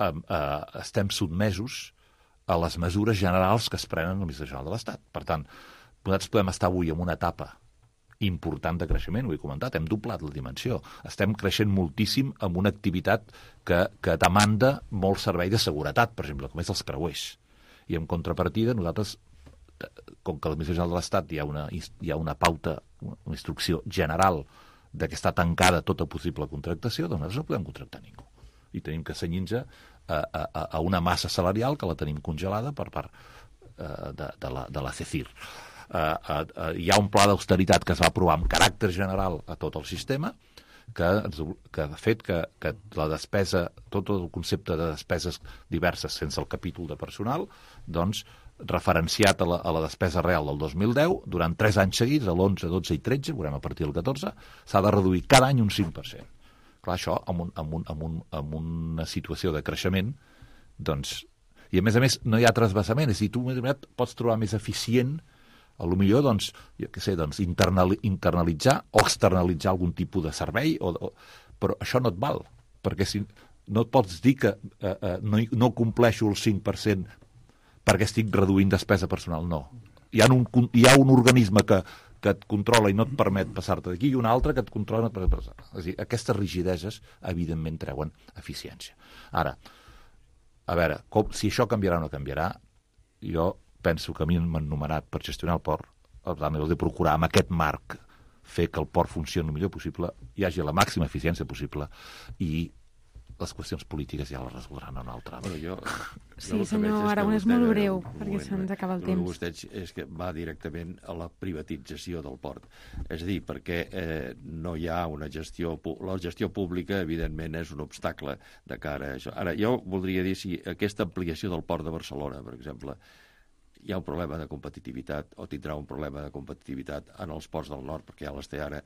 [SPEAKER 5] eh, eh, estem sotmesos a les mesures generals que es prenen a l'Administració General de l'Estat. Per tant, nosaltres podem estar avui en una etapa important de creixement, ho he comentat, hem doblat la dimensió. Estem creixent moltíssim amb una activitat que, que demanda molt servei de seguretat, per exemple, com és els creuers. I en contrapartida, nosaltres, com que a l'Administració General de l'Estat hi ha una, hi ha una pauta, una instrucció general de que està tancada tota possible contractació, doncs nosaltres no podem contractar ningú. I tenim que cenyir-nos a, a, a una massa salarial que la tenim congelada per part uh, de, de, la, de la CECIR. Uh, uh, uh, hi ha un pla d'austeritat que es va aprovar amb caràcter general a tot el sistema, que, que ha fet que, que la despesa, tot el concepte de despeses diverses sense el capítol de personal, doncs, referenciat a la, a la despesa real del dos mil deu, durant tres anys seguits, a l'onze, dotze i tretze, veurem a partir del catorze, s'ha de reduir cada any un cinc per cent. Clar, això, amb, un, amb, un, amb, un, amb una situació de creixement, doncs... I, a més a més, no hi ha trasbassament. És a dir, tu pots trobar més eficient, a lo millor, doncs, jo què sé, doncs, internali, internalitzar o externalitzar algun tipus de servei, o, o, però això no et val, perquè si, no et pots dir que eh, eh, no, no compleixo el cinc per cent perquè estic reduint despesa personal, no. Hi ha un, hi ha un organisme que, que et controla i no et permet passar-te d'aquí i un altre que et controla i no et permet passar. És a dir, aquestes rigideses, evidentment, treuen eficiència. Ara, a veure, com, si això canviarà o no canviarà, jo penso que a mi m'han nomenat per gestionar el port, per tant, he de procurar amb aquest marc fer que el port funcioni el millor possible, hi hagi la màxima eficiència possible i les qüestions polítiques ja les resoldran en un altre àmbit.
[SPEAKER 2] Bueno, jo, sí, jo senyor Aragonès, molt breu, perquè se'ns acaba el temps.
[SPEAKER 7] El que és que va directament a la privatització del port. És a dir, perquè eh, no hi ha una gestió... La gestió pública, evidentment, és un obstacle de cara a això. Ara, jo voldria dir si aquesta ampliació del port de Barcelona, per exemple, hi ha un problema de competitivitat, o tindrà un problema de competitivitat en els ports del nord, perquè ja les té ara,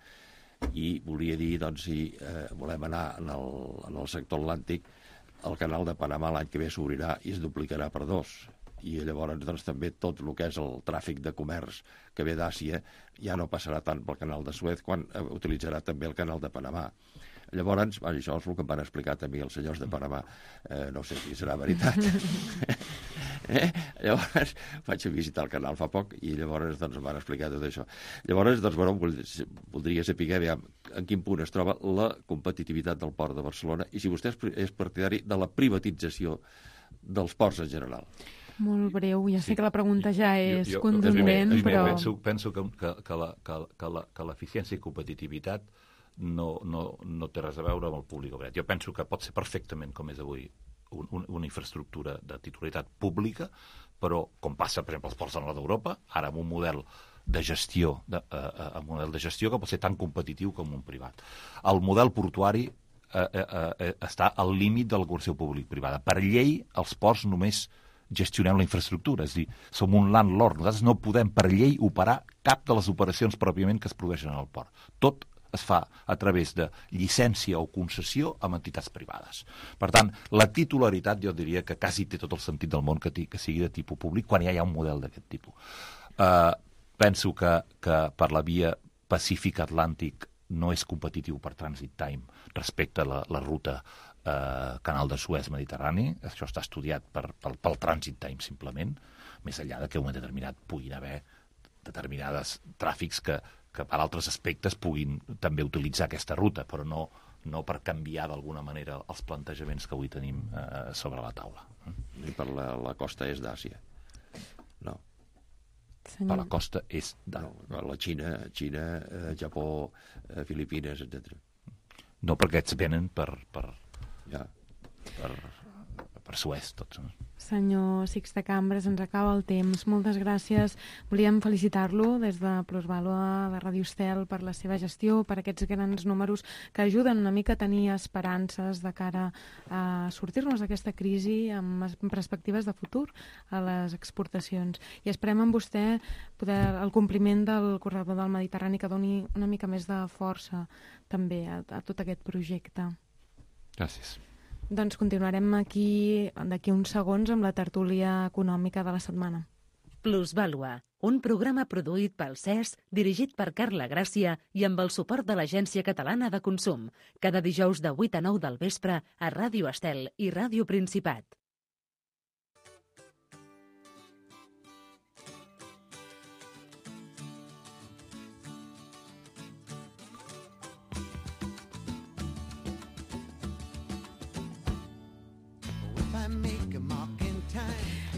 [SPEAKER 7] i volia dir, doncs, si eh, volem anar en el, en el sector atlàntic, el canal de Panamà l'any que ve s'obrirà i es duplicarà per dos. I llavors doncs, també tot el que és el tràfic de comerç que ve d'Àsia ja no passarà tant pel canal de Suez quan eh, utilitzarà també el canal de Panamà. Llavors, bueno, això és el que em van explicar també els senyors de Panamà. Eh, no sé si serà veritat. eh? Llavors, vaig a visitar el canal fa poc i llavors doncs, em van explicar tot això. Llavors, doncs, bueno, voldria saber aviam, en quin punt es troba la competitivitat del port de Barcelona i si vostè és partidari de la privatització dels ports en general.
[SPEAKER 2] Molt breu, ja sé sí. que la pregunta ja és jo, jo, contundent,
[SPEAKER 5] jo,
[SPEAKER 2] però...
[SPEAKER 5] Penso, penso que, que, que, la, que, que, la, que l'eficiència i competitivitat no, no, no té res a veure amb el públic o privat. Jo penso que pot ser perfectament, com és avui, un, un, una infraestructura de titularitat pública, però, com passa, per exemple, als ports del nord d'Europa, ara amb un model de gestió, de, uh, uh, un model de gestió que pot ser tan competitiu com un privat. El model portuari uh, uh, uh, està al límit de la col·laboració públic-privada. Per llei, els ports només gestionem la infraestructura, és a dir, som un landlord. Nosaltres no podem, per llei, operar cap de les operacions pròpiament que es produeixen al port. Tot es fa a través de llicència o concessió amb entitats privades. Per tant, la titularitat jo diria que quasi té tot el sentit del món que, que sigui de tipus públic quan ja hi ha un model d'aquest tipus. Uh, penso que, que per la via Pacífic-Atlàntic no és competitiu per transit time respecte a la, la ruta eh, Canal de Suez Mediterrani. Això està estudiat per, pel, pel transit time simplement, més enllà de que en un moment determinat puguin haver determinades tràfics que, que per altres aspectes puguin també utilitzar aquesta ruta, però no, no per canviar d'alguna manera els plantejaments que avui tenim eh, sobre la taula.
[SPEAKER 7] I per la, la costa est d'Àsia? No.
[SPEAKER 2] Senyor.
[SPEAKER 5] Per la costa est de...
[SPEAKER 7] No, la Xina, Xina eh, Japó, eh, Filipines, etcètera.
[SPEAKER 5] No, perquè aquests venen per, per,
[SPEAKER 7] ja.
[SPEAKER 5] per, per Suez, tots. No?
[SPEAKER 2] Senyor Sixte Cambres, ens acaba el temps. Moltes gràcies. Volíem felicitar-lo des de Plusvàlua de Ràdio Estel per la seva gestió, per aquests grans números que ajuden una mica a tenir esperances de cara a sortir-nos d'aquesta crisi amb perspectives de futur a les exportacions. I esperem amb vostè poder el compliment del corredor del Mediterrani que doni una mica més de força també a, a tot aquest projecte.
[SPEAKER 5] Gràcies.
[SPEAKER 2] Doncs continuarem aquí d'aquí uns segons amb la tertúlia econòmica de la setmana.
[SPEAKER 3] Plusvàlua, un programa produït pel C E S, dirigit per Carla Gràcia i amb el suport de l'Agència Catalana de Consum, cada dijous de vuit a nou del vespre a Ràdio Estel i Ràdio Principat.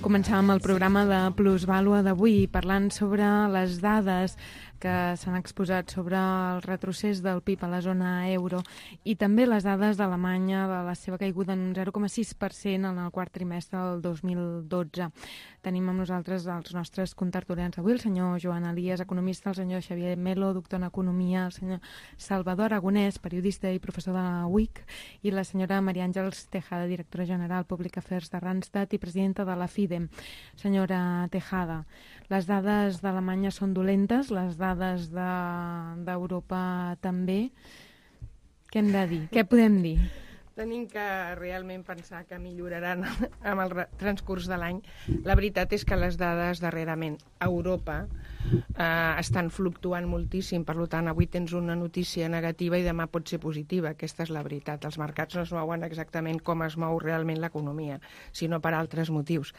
[SPEAKER 2] Començàvem el programa de Plusvàlua d'avui parlant sobre les dades que s'han exposat sobre el retrocés del P I B a la zona euro i també les dades d'Alemanya de la seva caiguda en un zero coma sis per cent en el quart trimestre del dos mil dotze. Tenim amb nosaltres els nostres contertulians avui, el senyor Joan Elias, economista, el senyor Xavier Melo, doctor en Economia, el senyor Salvador Aragonès, periodista i professor de la U I C, i la senyora Maria Àngels Tejada, directora general Public Affairs de Randstad i presidenta de la FIDE. Senyora Tejada, les dades d'Alemanya són dolentes, les dades d'Europa de, també. Què hem de dir? Què podem dir?
[SPEAKER 8] Tenim que realment pensar que milloraran amb el transcurs de l'any. La veritat és que les dades darrerament a Europa eh, estan fluctuant moltíssim, per tant avui tens una notícia negativa i demà pot ser positiva. Aquesta és la veritat. Els mercats no es mouen exactament com es mou realment l'economia, sinó per altres motius.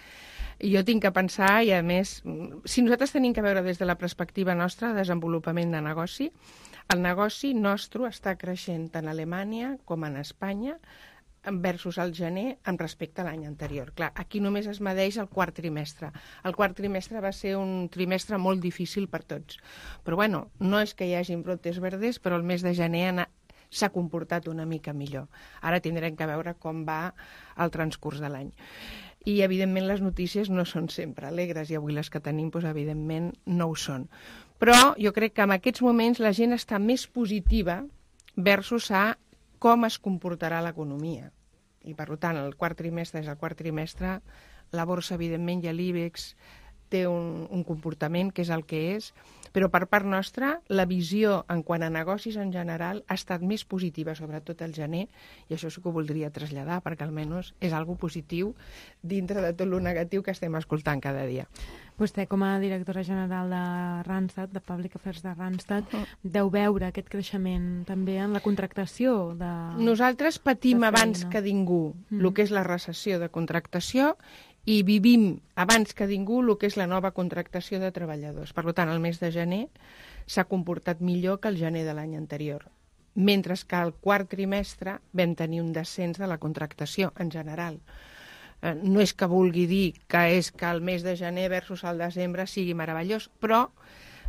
[SPEAKER 8] I jo tinc que pensar, i a més, si nosaltres tenim que veure des de la perspectiva nostra de desenvolupament de negoci, el negoci nostre està creixent tant a Alemanya com en Espanya versus el gener amb respecte a l'any anterior. Clar, aquí només es medeix el quart trimestre. El quart trimestre va ser un trimestre molt difícil per tots. Però bueno, no és que hi hagin brotes verdes, però el mes de gener s'ha comportat una mica millor. Ara tindrem que veure com va el transcurs de l'any. I, evidentment, les notícies no són sempre alegres, i avui les que tenim, doncs, evidentment, no ho són. Però jo crec que en aquests moments la gent està més positiva versus a com es comportarà l'economia. I, per tant, el quart trimestre és el quart trimestre, la borsa, evidentment, i l'Ibex té un, un comportament que és el que és, però per part nostra la visió en quant a negocis en general ha estat més positiva, sobretot al gener, i això sí que ho voldria traslladar, perquè almenys és algo positiu dintre de tot el negatiu que estem escoltant cada dia.
[SPEAKER 2] Vostè, com a directora general de Randstad, de Public Affairs de Randstad, uh -huh. deu veure aquest creixement també en la contractació de...
[SPEAKER 8] Nosaltres patim
[SPEAKER 2] de
[SPEAKER 8] abans que ningú
[SPEAKER 2] Mm.
[SPEAKER 8] el que és la recessió de contractació i vivim abans que ningú el que és la nova contractació de treballadors. Per tant, el mes de gener s'ha comportat millor que el gener de l'any anterior, mentre que al quart trimestre vam tenir un descens de la contractació en general. Eh, no és que vulgui dir que és que el mes de gener versus el desembre sigui meravellós, però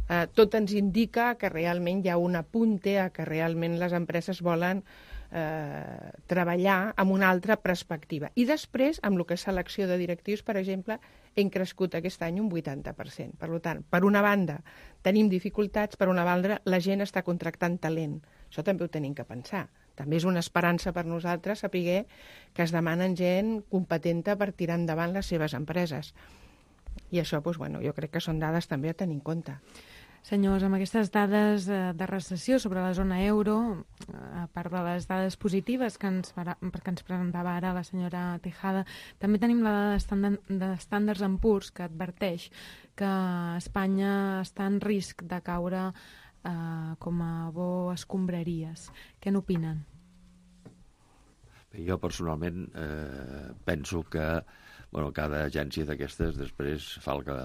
[SPEAKER 8] eh, tot ens indica que realment hi ha un apunte a que realment les empreses volen eh, treballar amb una altra perspectiva. I després, amb el que és selecció de directius, per exemple, hem crescut aquest any un vuitanta per cent. Per tant, per una banda tenim dificultats, per una banda la gent està contractant talent. Això també ho tenim que pensar. També és una esperança per nosaltres saber que es demanen gent competenta per tirar endavant les seves empreses. I això, doncs, bueno, jo crec que són dades també a tenir en compte.
[SPEAKER 2] Senyors, amb aquestes dades de recessió sobre la zona euro, a part de les dades positives que ens, que ens presentava ara la senyora Tejada, també tenim la dada de Standard and Poor's que adverteix que Espanya està en risc de caure eh, com a bo escombraries. Què n'opinen?
[SPEAKER 7] Jo personalment eh, penso que bueno, cada agència d'aquestes després fa el que...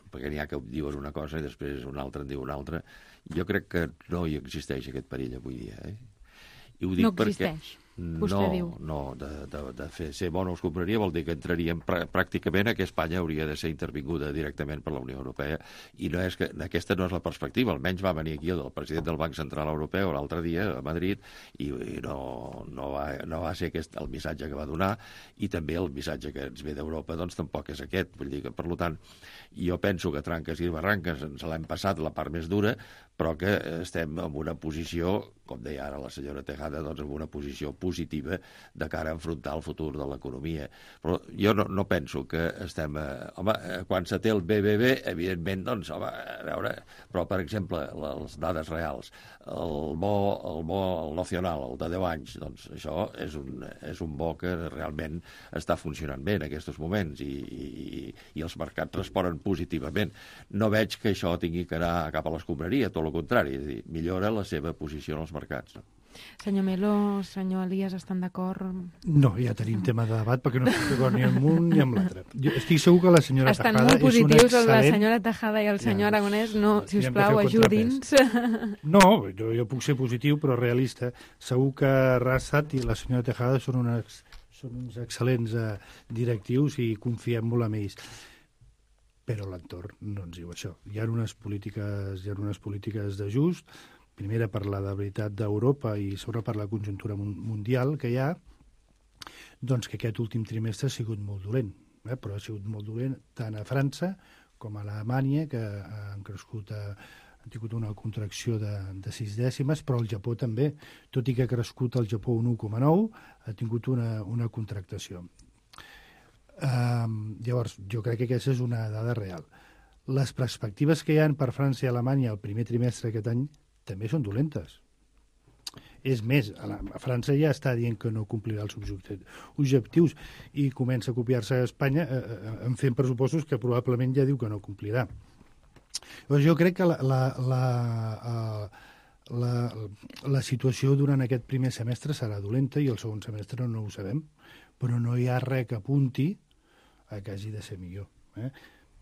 [SPEAKER 7] perquè n'hi ha que dius una cosa i després un altre en diu una altra. Jo crec que no hi existeix aquest perill avui dia. Eh? I ho dic
[SPEAKER 2] no
[SPEAKER 7] perquè...
[SPEAKER 2] existeix, vostè
[SPEAKER 7] no,
[SPEAKER 2] diu.
[SPEAKER 7] No, de, de, de fer, ser bona escombraria vol dir que entraríem pr pràcticament a que Espanya hauria de ser intervinguda directament per la Unió Europea, i no és que, aquesta no és la perspectiva. Almenys va venir aquí el president del Banc Central Europeu l'altre dia a Madrid i, i no, no, va, no va ser aquest el missatge que va donar, i també el missatge que ens ve d'Europa doncs tampoc és aquest. Vull dir que, per tant, jo penso que tranques i barranques ens l'hem passat la part més dura, però que estem en una posició, com deia ara la senyora Tejada, doncs en una posició positiva de cara a enfrontar el futur de l'economia. Però jo no, no penso que estem... Eh, home, quan se té el B B B, evidentment, doncs, home, a veure... Però, per exemple, les dades reals, el bo, el bo el nacional, el de deu anys, doncs això és un, és un bo que realment està funcionant bé en aquests moments i, i, i els mercats responen positivament. No veig que això tingui que anar cap a l'escombraria, tot el contrari, és a dir, millora la seva posició en els mercats. No?
[SPEAKER 2] Senyor Melo, senyor Elias, estan d'acord?
[SPEAKER 6] No, ja tenim tema de debat perquè no estic d'acord ni amb un ni amb l'altre. Estic segur que la senyora
[SPEAKER 2] estan
[SPEAKER 6] Tejada
[SPEAKER 2] molt positius,
[SPEAKER 6] és una excel·lent...
[SPEAKER 2] la senyora Tejada i el senyor ja, Aragonès. No, si us plau, ajudi'ns.
[SPEAKER 6] No, jo, jo puc ser positiu, però realista. Segur que Randstad i la senyora Tejada són, unes, són uns excel·lents eh, directius i confiem molt en ells. Però l'entorn no ens diu això. Hi ha unes polítiques, hi ha unes polítiques d'ajust, primera per la debilitat d'Europa i sobre per la conjuntura mundial que hi ha, doncs que aquest últim trimestre ha sigut molt dolent, eh? però ha sigut molt dolent tant a França com a Alemanya, que han crescut, a, han tingut una contracció de, de sis dècimes, però el Japó també, tot i que ha crescut el Japó un u coma nou, ha tingut una, una contractació. Um, llavors, jo crec que aquesta és una dada real. Les perspectives que hi ha per França i Alemanya el primer trimestre aquest any també són dolentes. És més, a, la, a França ja està dient que no complirà els objectius i comença a copiar-se a Espanya eh, eh, en fent pressupostos que probablement ja diu que no complirà. Llavors, jo crec que la, la, la, la, la situació durant aquest primer semestre serà dolenta i el segon semestre no ho sabem, però no hi ha res que apunti a que hagi de ser millor. Eh?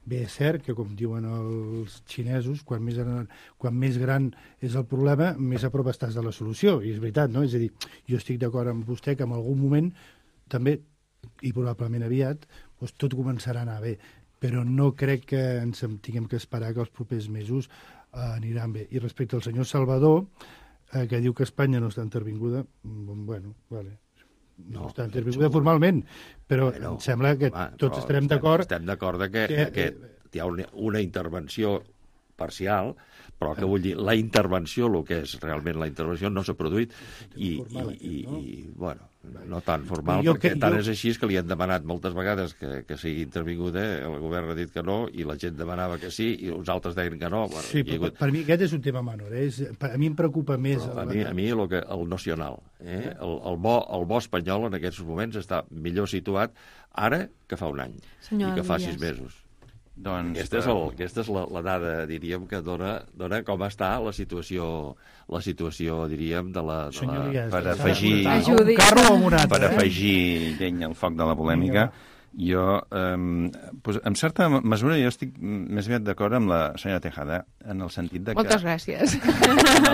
[SPEAKER 6] Bé, és cert que, com diuen els xinesos, quan més, gran, quan més gran és el problema, més a prop estàs de la solució. I és veritat, no? És a dir, jo estic d'acord amb vostè que en algun moment també, i probablement aviat, doncs tot començarà a anar bé. Però no crec que ens tinguem que esperar que els propers mesos eh, aniran bé. I respecte al senyor Salvador, eh, que diu que Espanya no està intervinguda, bueno, vale. No, no està intervinguda formalment, però bueno, em sembla que home, tots estarem d'acord...
[SPEAKER 7] Estem d'acord que, que, que hi ha una, una intervenció parcial, però que vull dir, la intervenció, el que és realment la intervenció, no s'ha produït i, i, i, i bueno, no tan formal, jo, perquè que, tant jo... és així que li han demanat moltes vegades que, que sigui intervinguda, el govern ha dit que no i la gent demanava que sí i uns altres deien que no. Bueno,
[SPEAKER 6] sí, però hagut... per mi aquest és un tema menor, eh? És, per, a mi em preocupa més...
[SPEAKER 7] Però a mi, a mi el, que, el nacional, eh? el, el, bo, el bo espanyol en aquests moments està millor situat ara que fa un any
[SPEAKER 2] Senyor
[SPEAKER 7] i que fa
[SPEAKER 2] Elias.
[SPEAKER 7] sis mesos.
[SPEAKER 1] Doncs,
[SPEAKER 7] aquesta és, el, aquesta és la, la dada, diríem, que dona, dona com està la situació, la situació, diríem, de la... De la...
[SPEAKER 6] Elias,
[SPEAKER 1] per afegir...
[SPEAKER 6] Un carro amb un altre,
[SPEAKER 1] per
[SPEAKER 6] eh?
[SPEAKER 1] afegir llenya al foc de la polèmica, jo, eh, pues, en certa mesura, jo estic més aviat d'acord amb la senyora Tejada, en el sentit de que...
[SPEAKER 8] Moltes gràcies.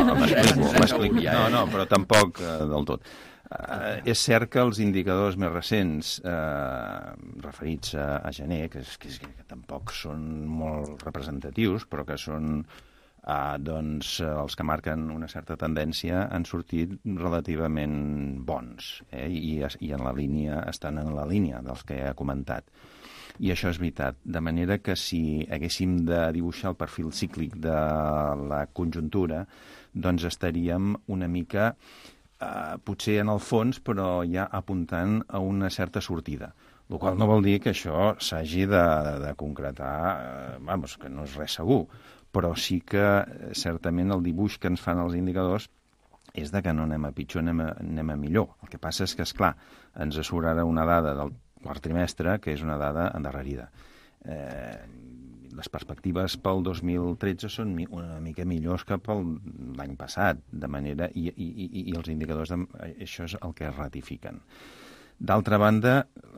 [SPEAKER 1] No, m'explico, m'explico. No, no, però tampoc eh, del tot. Uh, és cert que els indicadors més recents uh, referits a, a gener, que, és, que, és, que tampoc són molt representatius, però que són uh, doncs, uh, els que marquen una certa tendència, han sortit relativament bons, eh? I, i en la línia, estan en la línia dels que he comentat. I això és veritat. De manera que si haguéssim de dibuixar el perfil cíclic de la conjuntura, doncs estaríem una mica... Uh, potser en el fons, però ja apuntant a una certa sortida. El qual no vol dir que això s'hagi de, de, de concretar, uh, vamos, que no és res segur, però sí que certament el dibuix que ens fan els indicadors és de que no anem a pitjor, anem a, anem a millor. El que passa és que, esclar, ens surt ara una dada del quart trimestre que és una dada endarrerida. Eh, les perspectives pel dos mil tretze són una mica millors que pel l'any passat, de manera... I, i, i els indicadors, de, això és el que es ratifiquen. D'altra banda,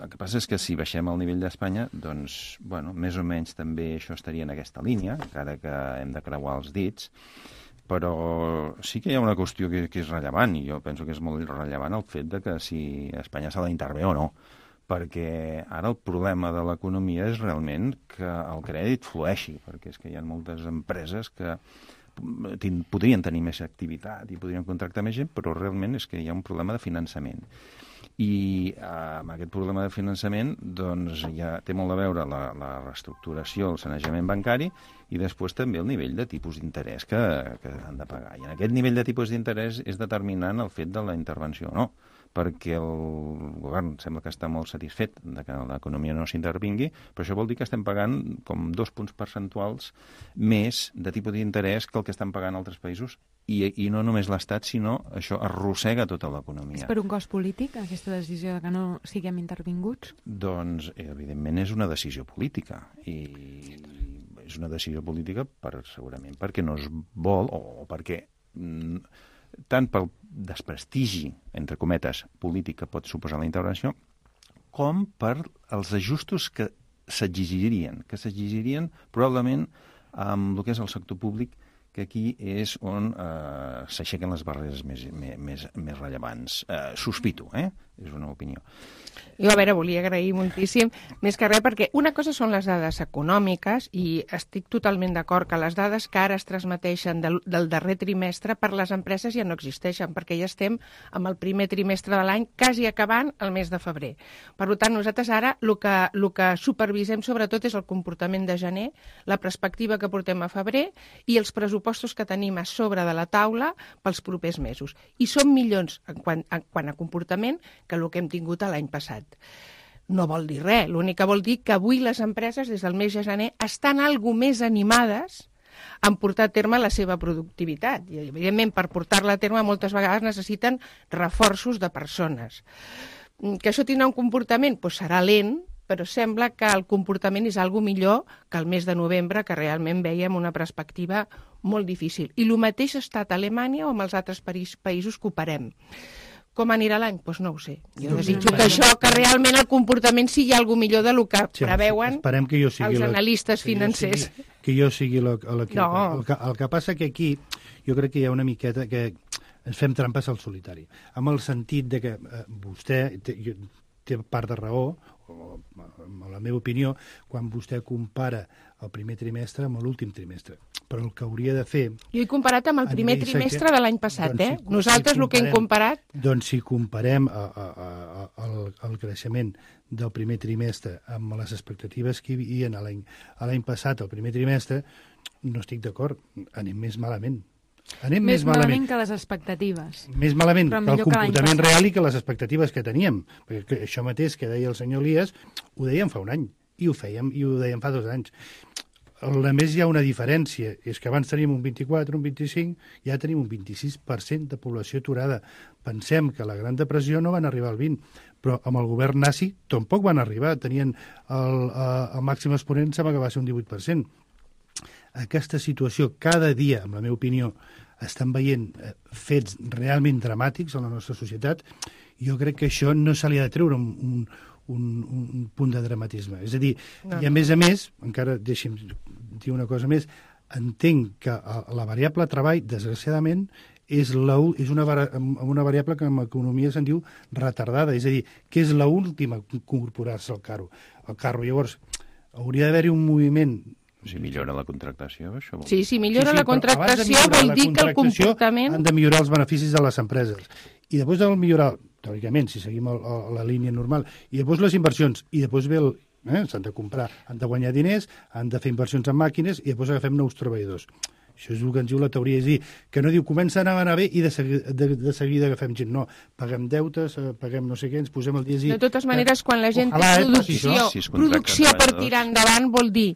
[SPEAKER 1] el que passa és que si baixem al nivell d'Espanya, doncs, bueno, més o menys també això estaria en aquesta línia, encara que hem de creuar els dits, però sí que hi ha una qüestió que, que és rellevant, i jo penso que és molt rellevant el fet de que si Espanya s'ha d'intervenir o no, perquè ara el problema de l'economia és realment que el crèdit flueixi, perquè és que hi ha moltes empreses que podrien tenir més activitat i podrien contractar més gent, però realment és que hi ha un problema de finançament. I eh, amb aquest problema de finançament doncs ja té molt a veure la, la reestructuració, el sanejament bancari i després també el nivell de tipus d'interès que, que han de pagar. I en aquest nivell de tipus d'interès és determinant el fet de la intervenció o no, perquè el govern sembla que està molt satisfet de que l'economia no s'intervingui, però això vol dir que estem pagant com dos punts percentuals més de tipus d'interès que el que estan pagant altres països, i, i no només l'Estat, sinó això arrossega tota l'economia.
[SPEAKER 2] És per un cost polític, aquesta decisió de que no siguem intervinguts?
[SPEAKER 1] Doncs, evidentment, és una decisió política, i és una decisió política per, segurament perquè no es vol, o, o perquè... Mm, tant pel desprestigi, entre cometes, polític que pot suposar la intervenció, com per els ajustos que s'exigirien, que s'exigirien probablement amb el que és el sector públic, que aquí és on eh, s'aixequen les barreres més, més, més rellevants. Eh, sospito, eh? És una opinió.
[SPEAKER 8] Jo, a veure, volia agrair moltíssim, més que res, perquè una cosa són les dades econòmiques i estic totalment d'acord que les dades que ara es transmeteixen del, del darrer trimestre per les empreses ja no existeixen, perquè ja estem amb el primer trimestre de l'any quasi acabant el mes de febrer. Per tant, nosaltres ara el que, el que supervisem sobretot és el comportament de gener, la perspectiva que portem a febrer i els pressupostos que tenim a sobre de la taula pels propers mesos. I són millors en quant, en quant a comportament que el que hem tingut l'any passat. No vol dir res, l'únic que vol dir que avui les empreses des del mes de gener estan algo més animades en portar a terme la seva productivitat. I, evidentment, per portar-la a terme moltes vegades necessiten reforços de persones. Que això tindrà un comportament? Doncs serà lent, però sembla que el comportament és algo millor que el mes de novembre, que realment veiem una perspectiva molt difícil. I el mateix ha estat a Alemanya o amb els altres països que operem. Com anirà l'any? Doncs no ho sé. Jo desitjo que això, que realment el comportament sigui alguna millor del que sí, preveuen
[SPEAKER 6] que jo sigui
[SPEAKER 8] els analistes
[SPEAKER 6] la,
[SPEAKER 8] financers.
[SPEAKER 6] Que jo sigui l'equip.
[SPEAKER 8] No.
[SPEAKER 6] El, que, el que passa que aquí jo crec que hi ha una miqueta que ens fem trampes al solitari. Amb el sentit de que eh, vostè té, té part de raó, o, en la meva opinió, quan vostè compara el primer trimestre amb l'últim trimestre. Però el que hauria de fer...
[SPEAKER 8] Jo he comparat amb el primer trimestre de l'any passat, doncs, eh? Si, Nosaltres si el que hem comparat...
[SPEAKER 6] Doncs si comparem a, a, a, el, el creixement del primer trimestre amb les expectatives que hi havia l'any passat, el primer trimestre, no estic d'acord, anem més malament. Anem
[SPEAKER 2] més,
[SPEAKER 6] més
[SPEAKER 2] malament.
[SPEAKER 6] malament
[SPEAKER 2] que les expectatives.
[SPEAKER 6] Més malament
[SPEAKER 2] Però
[SPEAKER 6] que el
[SPEAKER 2] millor que l'any
[SPEAKER 6] comportament
[SPEAKER 2] passat.
[SPEAKER 6] real i que les expectatives que teníem. Perquè això mateix que deia el senyor Elias, ho dèiem fa un any, i ho fèiem, i ho dèiem fa dos anys. A més, hi ha una diferència, és que abans teníem un vint-i-quatre, un vint-i-cinc, ja tenim un vint-i-sis per cent de població aturada. Pensem que la Gran Depressió no van arribar al vint, però amb el govern nazi tampoc van arribar, tenien el, el màxim exponent, sembla que va ser un divuit per cent. Aquesta situació, cada dia, amb la meva opinió, estan veient fets realment dramàtics en la nostra societat, jo crec que això no se li ha de treure un, un, un, un punt de dramatisme. És a dir, no, i a més a més, encara deixi'm dir una cosa més, entenc que la variable treball, desgraciadament, és, la, és una, una variable que en economia se'n diu retardada, és a dir, que és l'última a incorporar-se al carro. Al carro. Llavors, hauria d'haver-hi un moviment.
[SPEAKER 1] Si millora la contractació, això vol
[SPEAKER 8] Sí,
[SPEAKER 1] dir.
[SPEAKER 8] si millora
[SPEAKER 6] sí, sí,
[SPEAKER 8] la contractació vol dir que el comportament...
[SPEAKER 6] Han de millorar els beneficis de les empreses. I després de millorar, teòricament, si seguim el, el, la línia normal, i després les inversions, i després ve el... Eh, s'han de comprar, han de guanyar diners, han de fer inversions en màquines, i després agafem nous treballadors. Això és el que ens diu la teoria, és dir, que no diu comença a anar bé i de, segui, de, de seguida agafem gent. No, paguem deutes, paguem no sé què, ens posem el dia a dir...
[SPEAKER 8] De totes maneres, quan la gent
[SPEAKER 6] Ojalà,
[SPEAKER 8] té
[SPEAKER 6] eh,
[SPEAKER 8] producció,
[SPEAKER 1] si es
[SPEAKER 8] producció per
[SPEAKER 1] treballadors.
[SPEAKER 8] tirar endavant vol dir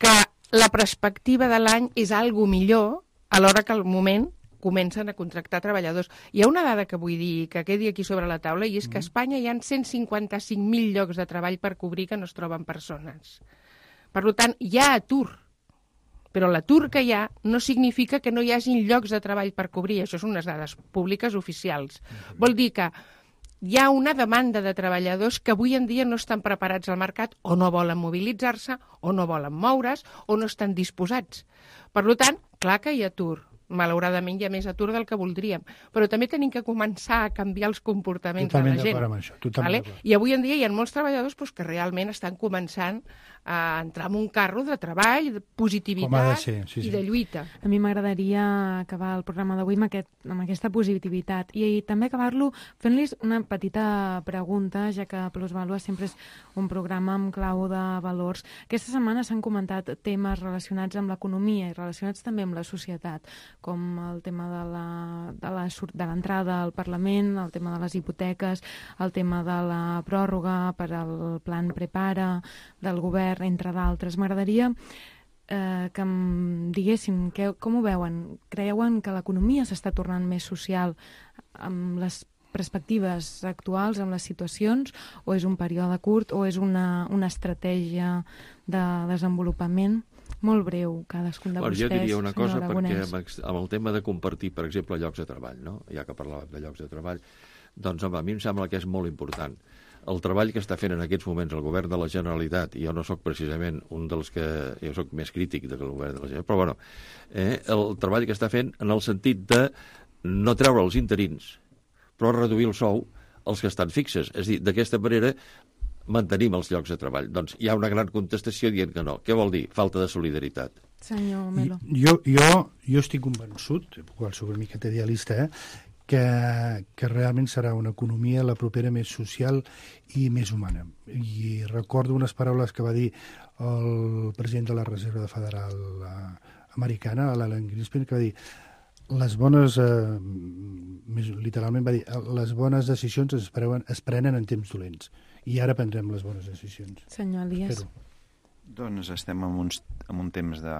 [SPEAKER 8] que la perspectiva de l'any és algo millor a l'hora que al moment comencen a contractar treballadors. Hi ha una dada que vull dir, que quedi aquí sobre la taula, i és que a Espanya hi ha cent cinquanta-cinc mil llocs de treball per cobrir que no es troben persones. Per tant, hi ha atur. Però l'atur que hi ha no significa que no hi hagin llocs de treball per cobrir. Això són unes dades públiques oficials. Vol dir que hi ha una demanda de treballadors que avui en dia no estan preparats al mercat, o no volen mobilitzar-se, o no volen moure's, o no estan disposats. Per tant, clar que hi ha atur. Malauradament hi ha més atur del que voldríem, però també tenim que començar a canviar els comportaments
[SPEAKER 6] totalment
[SPEAKER 8] de la gent.
[SPEAKER 6] Totalment d'acord amb això, totalment
[SPEAKER 8] Vale?
[SPEAKER 6] d'acord.
[SPEAKER 8] I avui en dia hi ha molts treballadors pues, que realment estan començant a entrar en un carro de treball, de
[SPEAKER 6] Com ha de
[SPEAKER 8] positivitat
[SPEAKER 6] ser, sí, sí.
[SPEAKER 8] i de lluita.
[SPEAKER 2] A mi m'agradaria acabar el programa d'avui amb, aquest, amb aquesta positivitat i, i també acabar-lo fent-los una petita pregunta, ja que Plusvàlua sempre és un programa amb clau de valors. Aquesta setmana s'han comentat temes relacionats amb l'economia i relacionats també amb la societat, com el tema de la, de la, de l'entrada al Parlament, el tema de les hipoteques, el tema de la pròrroga per al plan Prepara del govern, entre d'altres. M'agradaria eh, que em diguéssim que, com ho veuen. Creuen que l'economia s'està tornant més social amb les perspectives actuals, amb les situacions, o és un període curt, o és una, una estratègia de desenvolupament? Molt breu, cadascun de
[SPEAKER 7] bueno,
[SPEAKER 2] vostès.
[SPEAKER 7] Jo diria una cosa, perquè
[SPEAKER 2] Aragonès.
[SPEAKER 7] amb, amb el tema de compartir, per exemple, llocs de treball, no? Ja que parlàvem de llocs de treball, doncs home, a mi em sembla que és molt important. El treball que està fent en aquests moments el govern de la Generalitat, i jo no sóc precisament un dels que... Jo sóc més crític del govern de la Generalitat, però bueno, eh, el treball que està fent en el sentit de no treure els interins, però reduir el sou als que estan fixes. És a dir, d'aquesta manera mantenim els llocs de treball. Doncs hi ha una gran contestació dient que no. Què vol dir? Falta de solidaritat.
[SPEAKER 2] Senyor Melo.
[SPEAKER 6] Jo, jo, jo estic convençut, qual soc una miqueta idealista, eh, que, que realment serà una economia la propera més social i més humana. I recordo unes paraules que va dir el president de la Reserva Federal Americana, l'Alan Greenspan, que va dir les bones, eh, més literalment va dir, les bones decisions es, preuen, es prenen en temps dolents. I ara prendrem les bones decisions.
[SPEAKER 2] Senyor Elias.
[SPEAKER 6] Espero.
[SPEAKER 1] Doncs estem en, uns, en un temps de,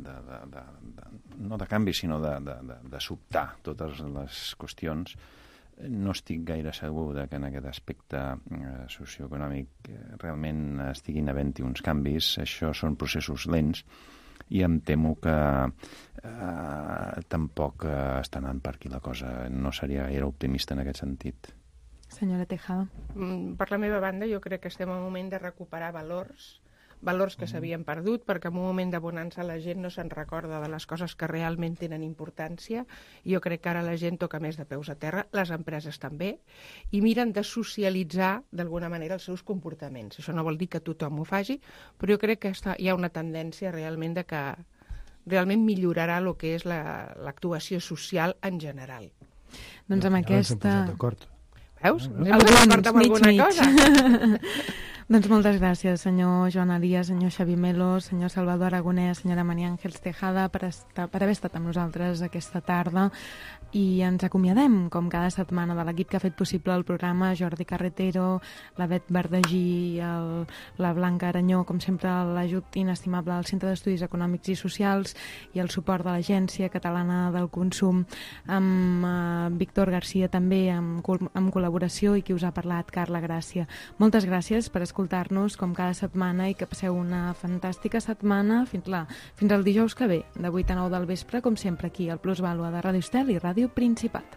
[SPEAKER 1] de, de, de, de, no de canvi, sinó de, de, de, de sobtar totes les qüestions. No estic gaire segur de que en aquest aspecte eh, socioeconòmic eh, realment estiguin havent-hi uns canvis. Això són processos lents i em temo que eh, tampoc eh, està anant per aquí la cosa. No seria gaire optimista en aquest sentit.
[SPEAKER 2] Senyora Tejada.
[SPEAKER 8] Mm, Per la meva banda, jo crec que estem en un moment de recuperar valors, valors que s'havien perdut, perquè en un moment de bonança la gent no se'n recorda de les coses que realment tenen importància. Jo crec que ara la gent toca més de peus a terra, les empreses també, i miren de socialitzar d'alguna manera els seus comportaments. Això no vol dir que tothom ho faci, però jo crec que està, hi ha una tendència realment de que realment millorarà el que és la, l'actuació social en general.
[SPEAKER 2] Doncs amb
[SPEAKER 6] Ja ens hem
[SPEAKER 2] aquesta...
[SPEAKER 6] posat d'acord.
[SPEAKER 8] Veus?
[SPEAKER 6] Ah,
[SPEAKER 8] Ens hem posat d'acord amb
[SPEAKER 2] mig,
[SPEAKER 8] alguna
[SPEAKER 2] mig.
[SPEAKER 8] cosa.
[SPEAKER 2] Doncs moltes gràcies, senyor Joan Elias, senyor Xavi Melo, senyor Salvador Aragonès, senyora Maria Àngels Tejada, per, estar, per haver estat amb nosaltres aquesta tarda. I ens acomiadem, com cada setmana, de l'equip que ha fet possible el programa, Jordi Carretero, la Bet Verdagí, el, la Blanca Aranyó, com sempre l'ajut inestimable al Centre d'Estudis Econòmics i Socials i el suport de l'Agència Catalana del Consum, amb uh, Víctor Garcia també, amb, amb col·laboració, i qui us ha parlat, Carla Gràcia. Moltes gràcies per escoltar-nos com cada setmana i que passeu una fantàstica setmana fins, la, fins al dijous que ve, de vuit a nou del vespre, com sempre aquí al Plusvàlua de Ràdio Estel i Ràdio Principat.